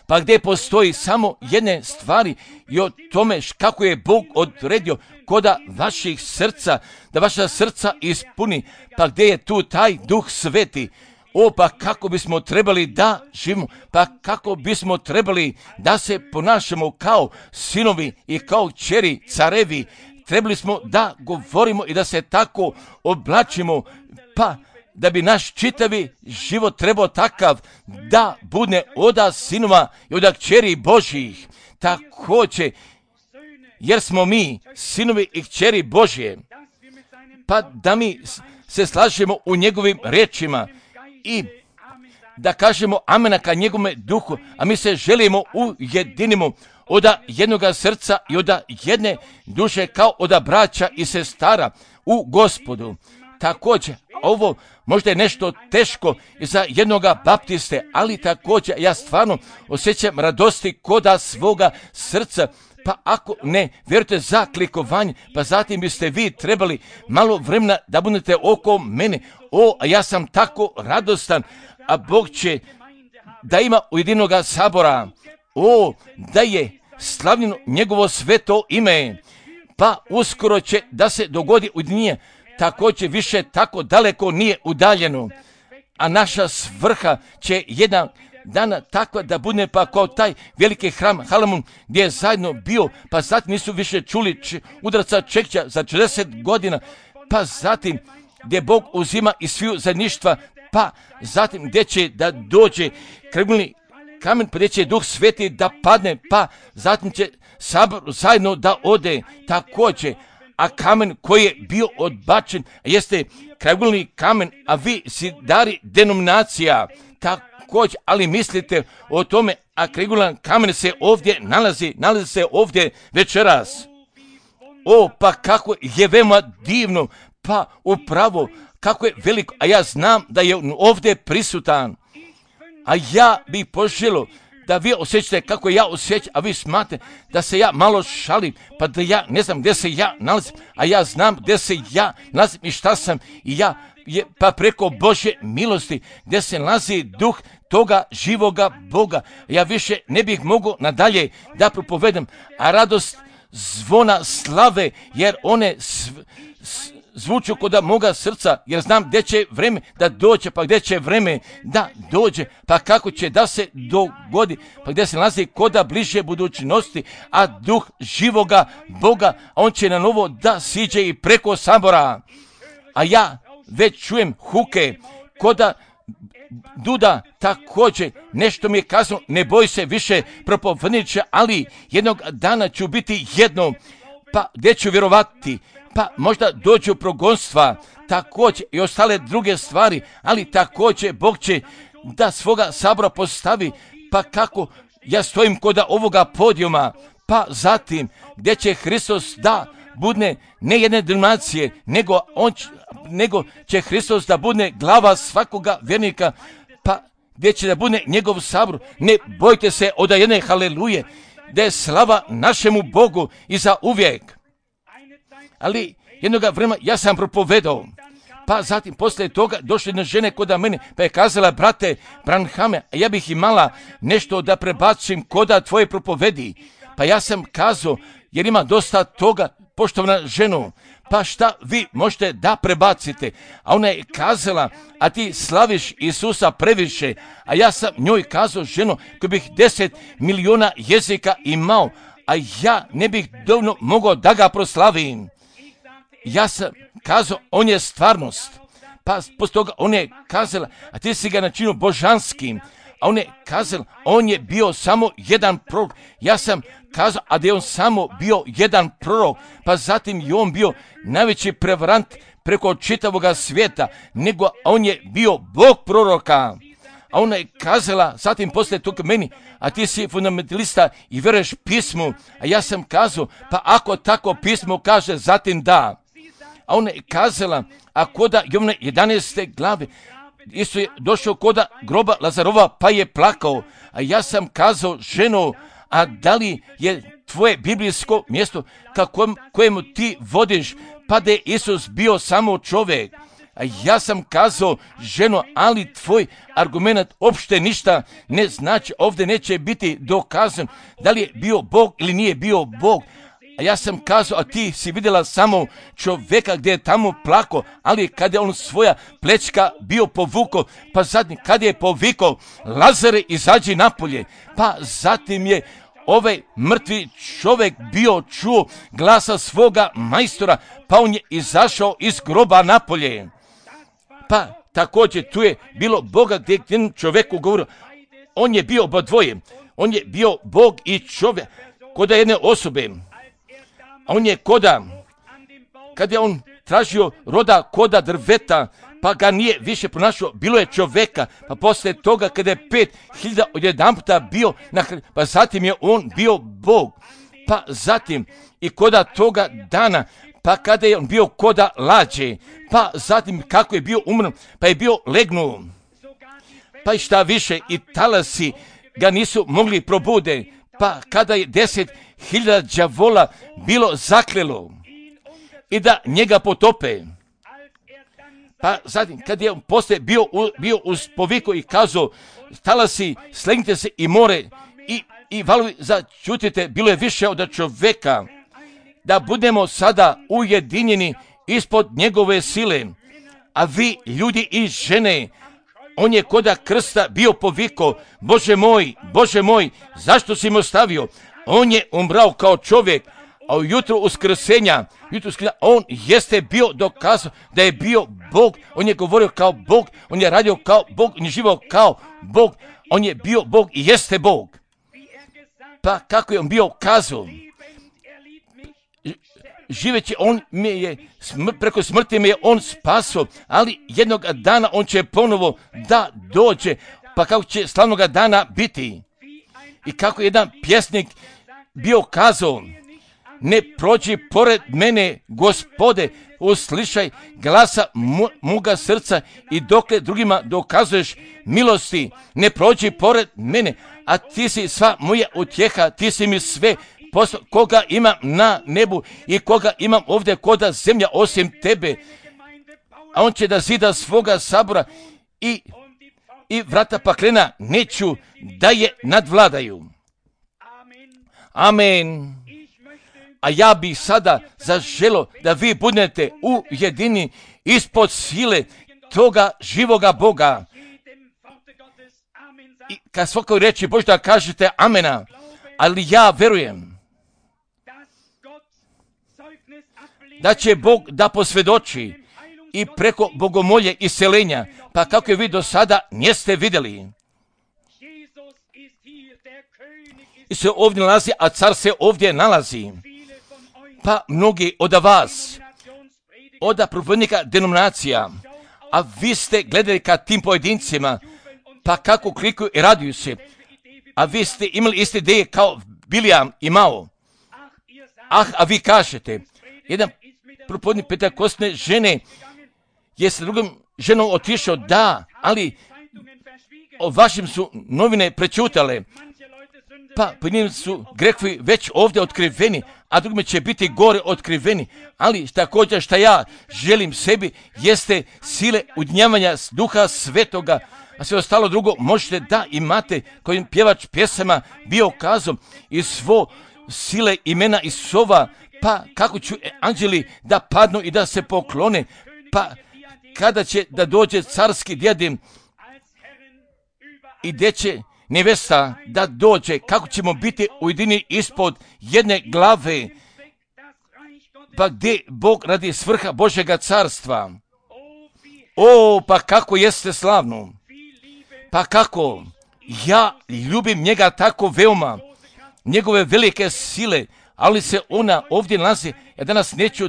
pa gdje postoji samo jedne stvari i o tome kako je Bog odredio koda vaših srca, da vaša srca ispuni, pa gdje je tu taj Duh Sveti. Pa kako bismo trebali da živimo, pa kako bismo trebali da se ponašamo kao sinovi i kao kćeri carevi. Trebali smo da govorimo i da se tako oblačimo, pa da bi naš čitavi život trebao takav da bude oda sinova i oda kćeri Božjih. Također, jer smo mi sinovi i kćeri Božje, pa da mi se slažemo u njegovim riječima i da kažemo amena ka njegovome duhu, a mi se želimo ujedinimo oda jednoga srca i oda jedne duše kao oda braća i sestara u Gospodu. Također, ovo možda je nešto teško i za jednoga baptiste, ali također ja stvarno osjećam radosti koda svoga srca. Pa ako ne vjerujete za klikovanje, pa zatim biste vi trebali malo vremena da budete oko mene. A ja sam tako radostan, a Bog će da ima ujedinoga sabora. Da je slavljeno njegovo sveto ime. Pa uskoro će da se dogodi ujedinjenje. Također više tako daleko nije udaljeno. A naša svrha će jedan dana takva da bude pa kao taj veliki hram Halamun gdje je zajedno bio, pa zatim nisu više čuli udarca čekća za 40 godina, pa zatim gdje Bog uzima iz sviju zajedništva, pa zatim gdje će da dođe krvni kamen, pa gdje će Duh Sveti da padne, pa zatim će sabor zajedno da ode također. A kamen koji je bio odbačen jeste kragulni kamen, a vi si dari denominacija također, ali mislite o tome, a kragulan kamen se ovdje nalazi se ovdje večeras. Pa kako je veoma divno, pa upravo kako je veliko, a ja znam da je ovdje prisutan. A ja bih poželio da vi osjećate kako ja osjećam, a vi smatrate da se ja malo šalim, pa da ja ne znam gdje se ja nalazim, a ja znam gdje se ja nalazim i šta sam i ja, pa preko Božje milosti gdje se nalazi duh toga živoga Boga. Ja više ne bih mogao nadalje da propovedam, a radost zvona slave, jer one zvuču kod moga srca, jer znam gdje će vreme da dođe, pa gdje će vreme da dođe, pa kako će da se dogodi, pa gdje se nalazi koda bliže budućnosti, a duh živoga Boga, on će na novo da siđe i preko sabora. A ja već čujem huke koda duda također, nešto mi je kazano, ne boj se više propovedniče, ali jednog dana ću biti jedno, pa gdje ću vjerovati, pa možda dođu progonstva, također i ostale druge stvari, ali također Bog će da svoga sabora postavi, pa kako ja stojim kod ovoga podijuma, pa zatim gdje će Hristos da bude ne jedne denominacije, nego će Hristos da bude glava svakoga vjernika, pa gdje će da bude njegov sabor. Ne bojte se od jedne haleluje, da je slava našemu Bogu i za uvijek. Ali jednoga vremena ja sam propovedao, pa zatim poslije toga došle jedna žene kod mene, pa je kazala, brate Branhame, ja bih imala nešto da prebacim koda tvoje propovedi. Pa ja sam kazao, jer ima dosta toga, poštovana ženo, pa šta vi možete da prebacite? A ona je kazala, a ti slaviš Isusa previše, a ja sam njoj kazao, ženo, koji bih 10 miliona jezika imao, a ja ne bih dovoljno mogao da ga proslavim. Ja sam kazao, on je stvarnost. Pa poslije toga on je kazala, a ti si ga načinio božanskim. A on je kazala, on je bio samo jedan prorok. Ja sam kazao, a da je on samo bio jedan prorok. Pa zatim je on bio najveći prevarant preko čitavoga svijeta, nego on je bio Bog proroka. A ona je kazala, zatim poslije toga meni, a ti si fundamentalista i vjeruješ pismu. A ja sam kazao, pa ako tako pismo kaže, zatim da. A ona je kazala, a koda Jovana 11. glave, Isus je došao koda groba Lazarova, pa je plakao. A ja sam kazao, ženo, a da li je tvoje biblijsko mjesto kojemu ti vodiš, pa da je Isus bio samo čovjek? A ja sam kazao, ženo, ali tvoj argument uopšte ništa ne znači, ovdje neće biti dokazan da li je bio Bog ili nije bio Bog. A ja sam kazao, a ti si vidjela samo čovjeka gdje je tamo plako, ali kada je on svoja plečka bio povukao, pa zatim kada je povikao, Lazare, izađi napolje, pa zatim je ovaj mrtvi čovjek bio čuo glasa svoga majstora, pa on je izašao iz groba napolje. Pa također tu je bilo Boga gdje je čovjeku govorio, on je bio obadvoje, on je bio Bog i čovjek, koda jedne osobe. A on je kada je on tražio roda koda drveta, pa ga nije više pronašao, bilo je čovjeka, pa poslije toga kada je 5000 odjedanputa bio, pa zatim je on bio Bog, pa zatim i koda toga dana, pa kada je on bio koda lađe, pa zatim kako je bio umrn, pa je bio legnuo, pa i šta više i talasi ga nisu mogli probude, pa kada je 10.000 đavola bilo zaklelo i da njega potope. Pa zatim, kad je on poslije bio uz poviku i kazao, talasi, slegnite se i more i valovi začutite, bilo je više od čovjeka, da budemo sada ujedinjeni ispod njegove sile. A vi, ljudi i žene, on je koda krsta bio povikao, Bože moj, zašto si me ostavio? On je umrao kao čovjek, a ujutro uskrsenja, on jeste bio dokazao da je bio Bog, on je govorio kao Bog, on je radio kao Bog, on je živio kao Bog, on je bio Bog i jeste Bog. Pa kako je on bio kazao? Živeći on me je, preko smrti me je on spasao, ali jednog dana on će ponovo da dođe, pa kako će slavnoga dana biti. I kako jedan pjesnik bio kazao, ne prođi pored mene, Gospode, uslišaj glasa moga srca i dokle drugima dokazuješ milosti, ne prođi pored mene, a ti si sva moja utjeha, ti si mi sve, koga imam na nebu i koga imam ovdje koda zemlja osim tebe. A on će da zida svoga sabora i vrata paklena neću da je nadvladaju. Amen. A ja bih sada zaželio da vi budete ujedini ispod sile toga živoga Boga. I kad svakoj reći Bože da kažete amena, ali ja verujem da će Bog da posvjedoči i preko bogomolje iseljenja, pa kako je vi do sada niste vidjeli. I se ovdje nalazi, a car se ovdje nalazi. Pa mnogi od vas, od propovjednika denominacija, a vi ste gledali ka tim pojedincima, pa kako klikuju i raduju se, a vi ste imali iste ideje kao Bilijam imao. A vi kažete, jedan propovjednik pentekostne žene je sa drugom ženom otišao, da, ali o vašim su novine prečutale, pa po njim su grehovi već ovdje otkriveni, a drugime će biti gore otkriveni, ali također šta ja želim sebi jeste sile udnjavanja Duha Svetoga, a sve ostalo drugo možete da imate, kojim pjevač pjesama bio kazom i svo sile imena Isova, pa kako ću anđeli da padnu i da se poklone, pa kada će da dođe carski diadem i gdje će nevesta da dođe, kako ćemo biti ujedini ispod jedne glave, pa gdje Bog radi svrha Božjega carstva. O, pa kako jeste slavno, pa kako ja ljubim njega tako veoma, njegove velike sile, ali se ona ovdje nalazi. Ja neću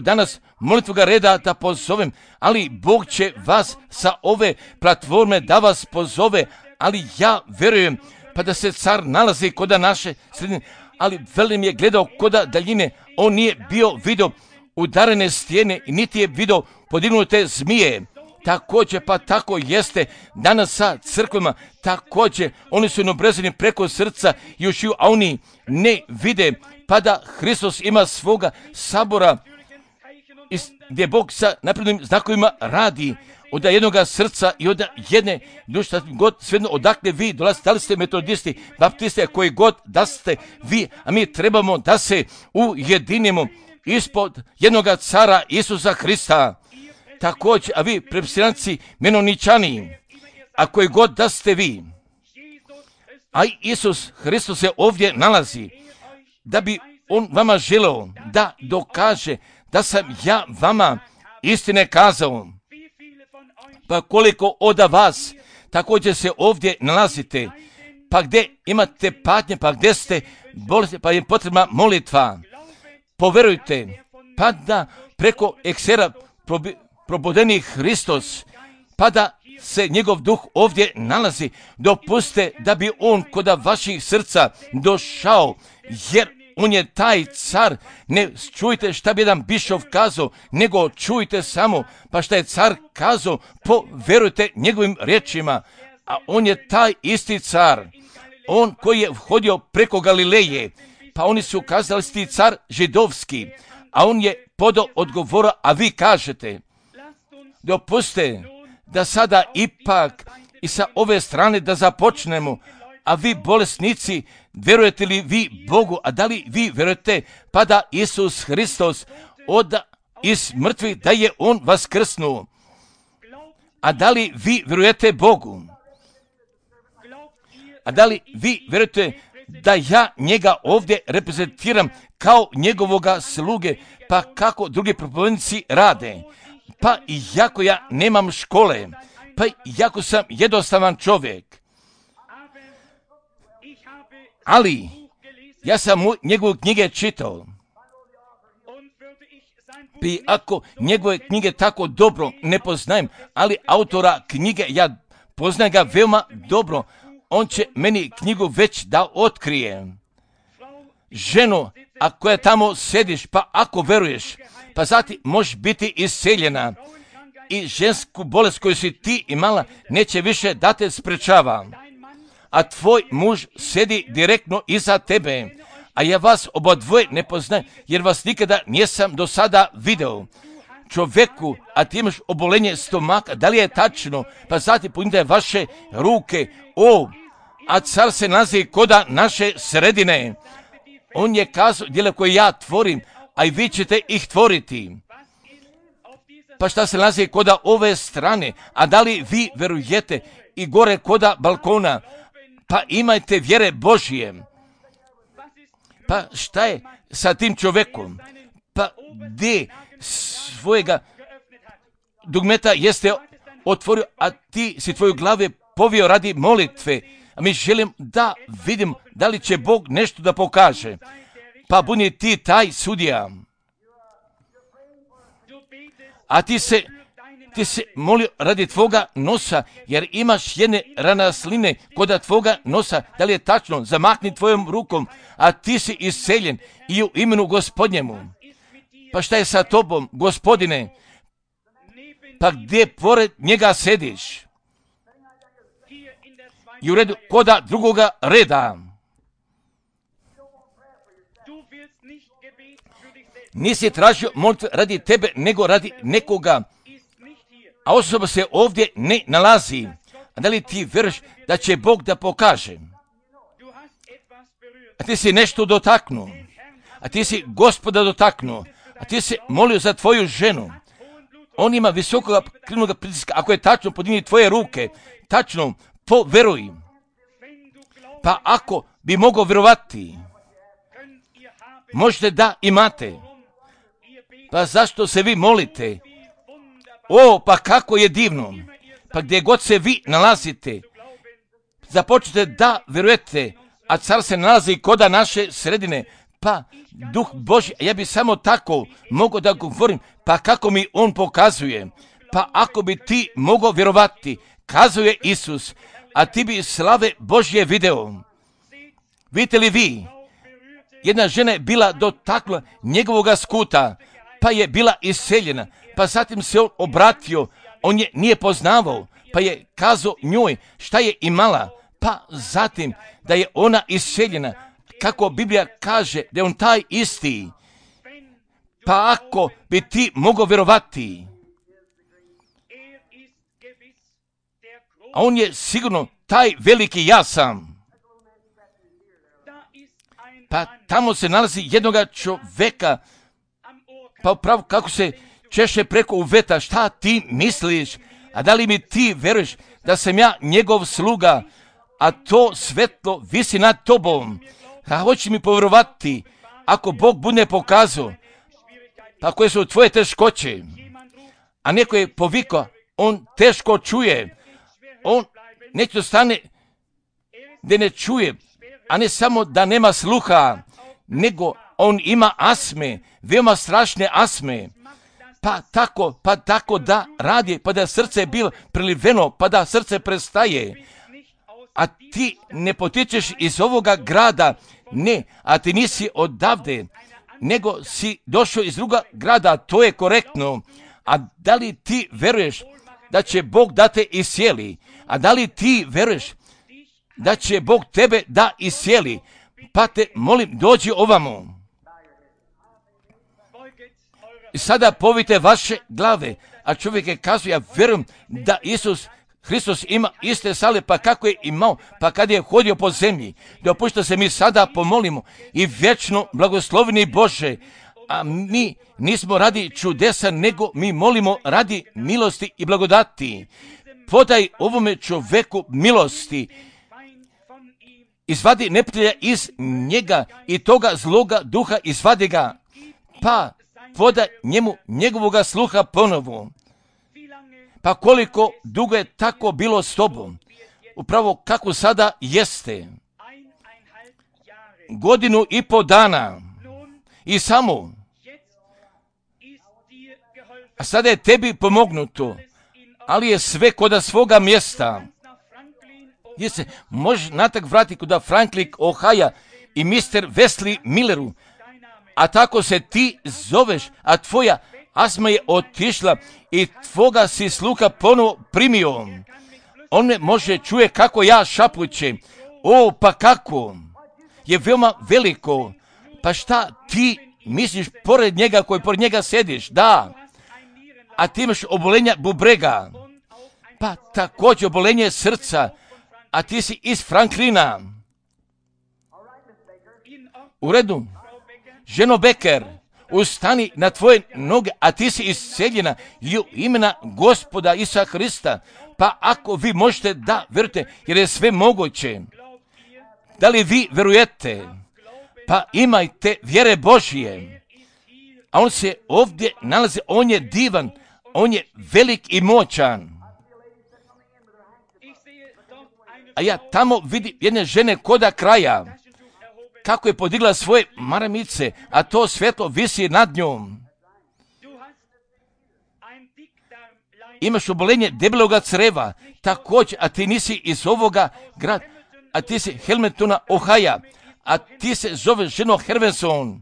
molitvoga reda da pozovem, ali Bog će vas sa ove platforme da vas pozove, ali ja verujem pa da se car nalazi koda naše sredine, ali velim je gledao koda daljine, on nije bio vidio udarene stijene i niti je vidio podignute zmije. Također, pa tako jeste danas sa crkvama, također oni su obrezani preko srca i ušiju, a oni ne vide, pa da Hristos ima svoga sabora gdje Bog sa naprednim znakovima radi od jednoga srca i od jedne duše, god svejedno odakle vi dolazite, da li ste metodisti, baptisti, koji god da ste vi, a mi trebamo da se ujedinimo ispod jednoga cara Isusa Hrista. Također, a vi prepsiranci, menoničani, a koji god da ste vi, a Isus Hristos se ovdje nalazi, da bi on vama želeo da dokaže da sam ja vama istine kazao. Pa koliko od vas također se ovdje nalazite, pa gdje imate patnje, pa gdje ste bolesni, pa je potrebna molitva. Poverujte, pa da preko eksera probudeni Hristos, pa da se njegov duh ovdje nalazi. Dopustite da bi on kod vaših srca došao, jer on je taj car. Ne čujte šta bi jedan bišov kazao, nego čujte samo pa šta je car kazao, poverujte njegovim riječima. A on je taj isti car, on koji je vhodio preko Galileje, pa oni su kazali ti car židovski, a on je podao odgovora, a vi kažete. Dopustite da sada ipak i sa ove strane da započnemo. A vi bolesnici, vjerujete li vi Bogu? A da li vi vjerujete pa da Isus Hristos iz mrtvih, da je on vaskrsnuo? A da li vi vjerujete Bogu? A da li vi vjerujete da ja njega ovdje reprezentiram kao njegovoga sluge? Pa kako drugi propovednici rade? Pa iako ja nemam škole, pa iako sam jednostavan čovjek, ali ja sam njegove knjige čitao. I ako njegove knjige tako dobro ne poznajem, ali autora knjige ja poznajem ga veoma dobro, on će meni knjigu već da otkrije. Ženo, a koja tamo sediš, pa ako veruješ, pa zatim možeš biti isceljena i žensku bolest koju si ti imala neće više da te sprečava. A tvoj muž sedi direktno iza tebe, a ja vas obadvoje ne poznajem, jer vas nikada nisam do sada video. Čovjeku, a ti imaš obolenje stomaka, da li je tačno? Pa zatim podignite vaše ruke, a car se nalazi koda naše sredine. On je kazao djela koje ja tvorim, a i vi ćete ih tvoriti. Pa šta se nalazi koda ove strane? A da li vi verujete i gore koda balkona? Pa imajte vjere Božije. Pa šta je sa tim čovjekom? Pa gdje svojega dugmeta jeste otvorio, a ti si tvoju glave povio radi molitve. A mi želim da vidim da li će Bog nešto da pokaže. Pa budi ti taj sudija. A ti se molio radi tvoga nosa, jer imaš jedne ranasline kod tvoga nosa. Da li je tačno? Zamahni tvojom rukom, a ti si isceljen i u imenu Gospodnjemu. Pa šta je sa tobom, Gospodine? Pa gdje pored njega sediš? I u redu koda drugoga reda. Nisi tražio molitve radi tebe, nego radi nekoga. A osoba se ovdje ne nalazi. A da li ti vjeruješ da će Bog da pokaže? A ti si nešto dotaknuo. A ti si Gospoda dotaknuo. A ti si molio za tvoju ženu. On ima visokoga krvnog pritiska. Ako je tačno, podigni tvoje ruke. Tačno, poveruj. Pa ako bi mogao vjerovati, možete da imate. Pa zašto se vi molite? Pa kako je divno. Pa gdje god se vi nalazite, započnite da vjerujete, a car se nalazi koda naše sredine. Pa Duh Božji, ja bi samo tako mogao da govorim, pa kako mi on pokazuje. Pa ako bi ti mogao vjerovati, kazuje Isus, a ti bi slave Božje video. Vidite li vi? Jedna žena je bila dotakla njegovoga skuta, pa je bila isceljena, pa zatim se on obratio, on je nije poznavao, pa je kazao njoj šta je imala, pa zatim da je ona isceljena, kako Biblija kaže da je on taj isti. Pa ako bi ti mogao vjerovati, a on je sigurno taj veliki ja sam. Pa tamo se nalazi jednoga čovjeka, pa upravo kako se češe preko uveta, šta ti misliš, a da li mi ti veruješ da sam ja njegov sluga, a to svetlo visi nad tobom, a hoće mi povjerovati, ako Bog bude pokazao, pa koje su tvoje teškoće, a neko je povikao, on teško čuje, on neće stane da ne čuje, a ne samo da nema sluha, nego on ima asme, veoma strašne asme, pa tako da radi, pa da srce bilo priliveno, pa da srce prestaje. A ti ne potičeš iz ovoga grada, ne, a ti nisi odavde, nego si došao iz druga grada, to je korektno. A da li ti veruješ da će Bog da te isjeli? A da li ti veruješ da će Bog tebe da isjeli? Pa te molim, dođi ovamo. I sada povite vaše glave, a čovjek je kazao, ja vjerujem da Isus Hristos ima iste sale, pa kako je imao, pa kad je hodio po zemlji. Dopušta se mi sada pomolimo i vječno blagosloveni Bože, a mi nismo radi čudesa, nego mi molimo radi milosti i blagodati. Podaj ovome čovjeku milosti, izvadi neprijatelja iz njega i toga zloga duha izvadi ga, pa podaj njemu njegovoga sluha ponovo. Pa koliko dugo je tako bilo s tobom, upravo kako sada jeste. 1,5 dana i samo. A sada je tebi pomognuto, ali je sve kod svoga mjesta. Gdje se možeš natak vratiti kod Franklin Ohio i Mr. Wesley Milleru, a tako se ti zoveš, a tvoja asma je otišla i tvoga si sluha ponovo primio. On me može čuje kako ja šapućem. O, pa kako? Je veoma veliko. Pa šta ti misliš pored njega koji pored njega sediš? Da. A ti imaš obolenja bubrega. Pa također obolenje srca. A ti si iz Franklina. U redu. Ženo Becker, ustani na tvoje noge, a ti si isceljena i u imena Gospoda Isusa Hrista. Pa ako vi možete da vjerujete, jer je sve moguće. Da li vi vjerujete? Pa imajte vjere Božije. A on se ovdje nalazi, on je divan, on je velik i moćan. A ja tamo vidim jedne žene koda kraja, kako je podigla svoje maramice, a to svjetlo visi nad njom. Imaš obolenje debeloga creva, također, a ti nisi iz ovoga grada, a ti si Hamiltona, Ohio, a ti se zoveš ženo Hervenson.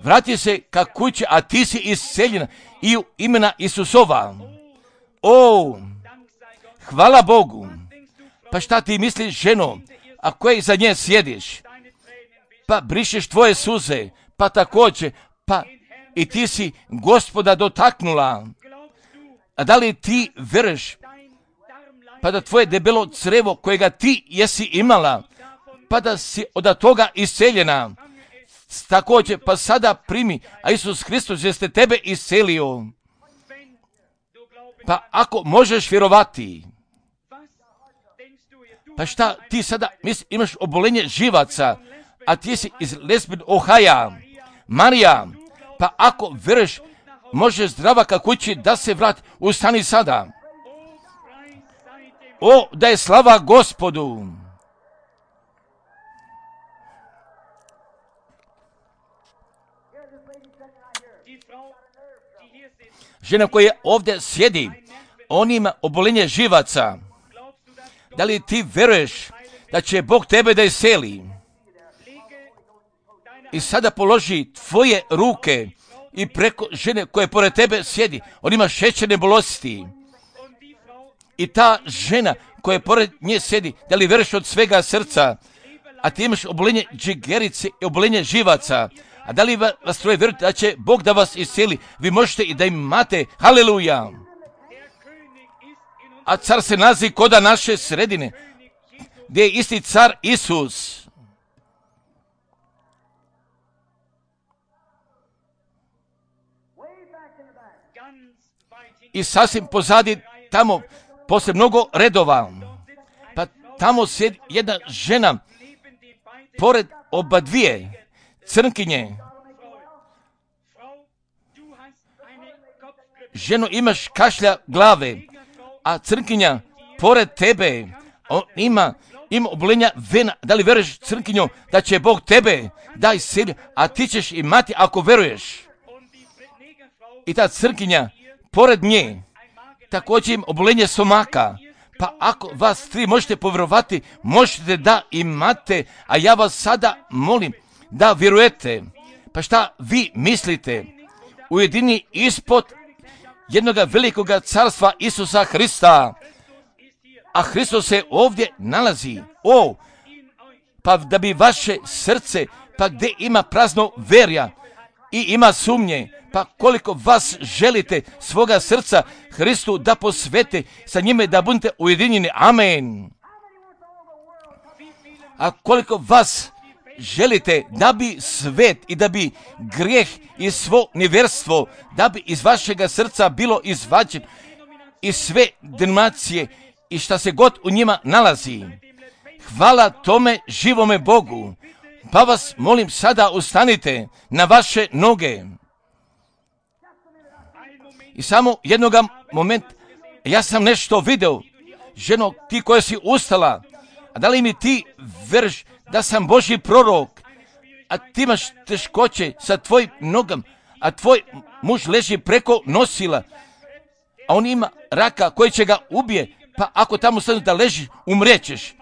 Vrati se ka kući, a ti si isceljena i u imena Isusova. O, hvala Bogu. Pa šta ti misliš, ženo, a koje za nje sjediš? Pa brišeš tvoje suze, pa također, pa i ti si Gospoda dotaknula. A da li ti veruješ, pa da tvoje debelo crevo kojega ti jesi imala, pa da si od toga isceljena, također, pa sada primi, a Isus Hristos jeste tebe iscelio. Pa ako možeš vjerovati, pa šta ti sada imaš obolenje živaca, a ti si iz Lesbin, Ohio, Marija, pa ako veruješ, možeš zdrava ka kući da se vrati, ustani sada. O, da je slava Gospodu. Žena koja ovdje sjedi, on ima obolenje živaca. Da li ti veruješ da će Bog tebe da iseli? I sada položi tvoje ruke i preko žene koje pored tebe sjedi, on ima šećerne bolesti. I ta žena koja pored nje sjedi, da li veruješ od svega srca, a ti imaš obolenje džigerice i obolenje živaca, A da li vas troje vjerujete da će Bog da vas iscijeli? Vi možete i da imate. Haleluja. A car se nalazi koda naše sredine, gdje je isti car Isus. I sasvim pozadi tamo, poslije mnogo redova, pa tamo sjedi jedna žena, pored oba dvije crnkinje. Ženo, imaš kašlja glave, a crnkinja pored tebe, on ima obolenja vena. Da li veruješ, crnkinjo, da će Bog tebe da iscijeli, a ti ćeš imati ako veruješ? I ta crnkinja pored nje također im obolenje stomaka. Pa ako vas tri možete povjerovati, možete da imate, a ja vas sada molim da vjerujete. Pa šta vi mislite? Ujedini ispod jednog velikog carstva Isusa Hrista, a Hristos se ovdje nalazi. Pa da bi vaše srce, pa gdje ima prazno verja i ima sumnje, pa koliko vas želite svoga srca Hristu da posvete, sa njime da budete ujedinjeni. Amen. A koliko vas želite da bi svet i da bi grijeh i svo nevjerstvo, da bi iz vašega srca bilo izvađen i sve denominacije i šta se god u njima nalazi. Hvala tome živome Bogu. Pa vas molim sada ustanite na vaše noge. I samo jednoga momenta, ja sam nešto video. Ženo, ti koja si ustala, a da li mi ti veruješ da sam Božji prorok, a ti imaš teškoće sa tvojim nogama, a tvoj muž leži preko nosila, a on ima raka koji će ga ubije, pa ako tamo stanu da ležiš, umrećeš.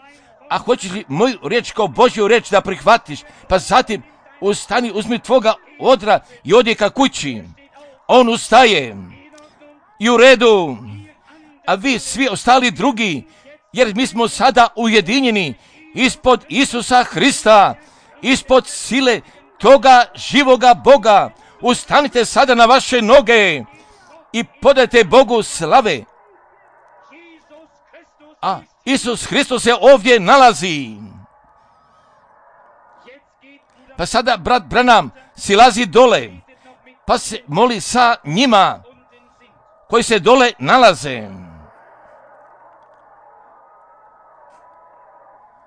A hoćeš li moju riječ kao Božju riječ da prihvatiš, pa zatim ustani, uzmi tvoga odra i odi ka kući. On ustaje i u redu, a vi svi ostali drugi, jer mi smo sada ujedinjeni ispod Isusa Hrista, ispod sile toga živoga Boga. Ustanite sada na vaše noge i podajte Bogu slave. A Isus Hristos se ovdje nalazi. Pa sada brat Branham silazi dole, pa se moli sa njima koji se dole nalaze.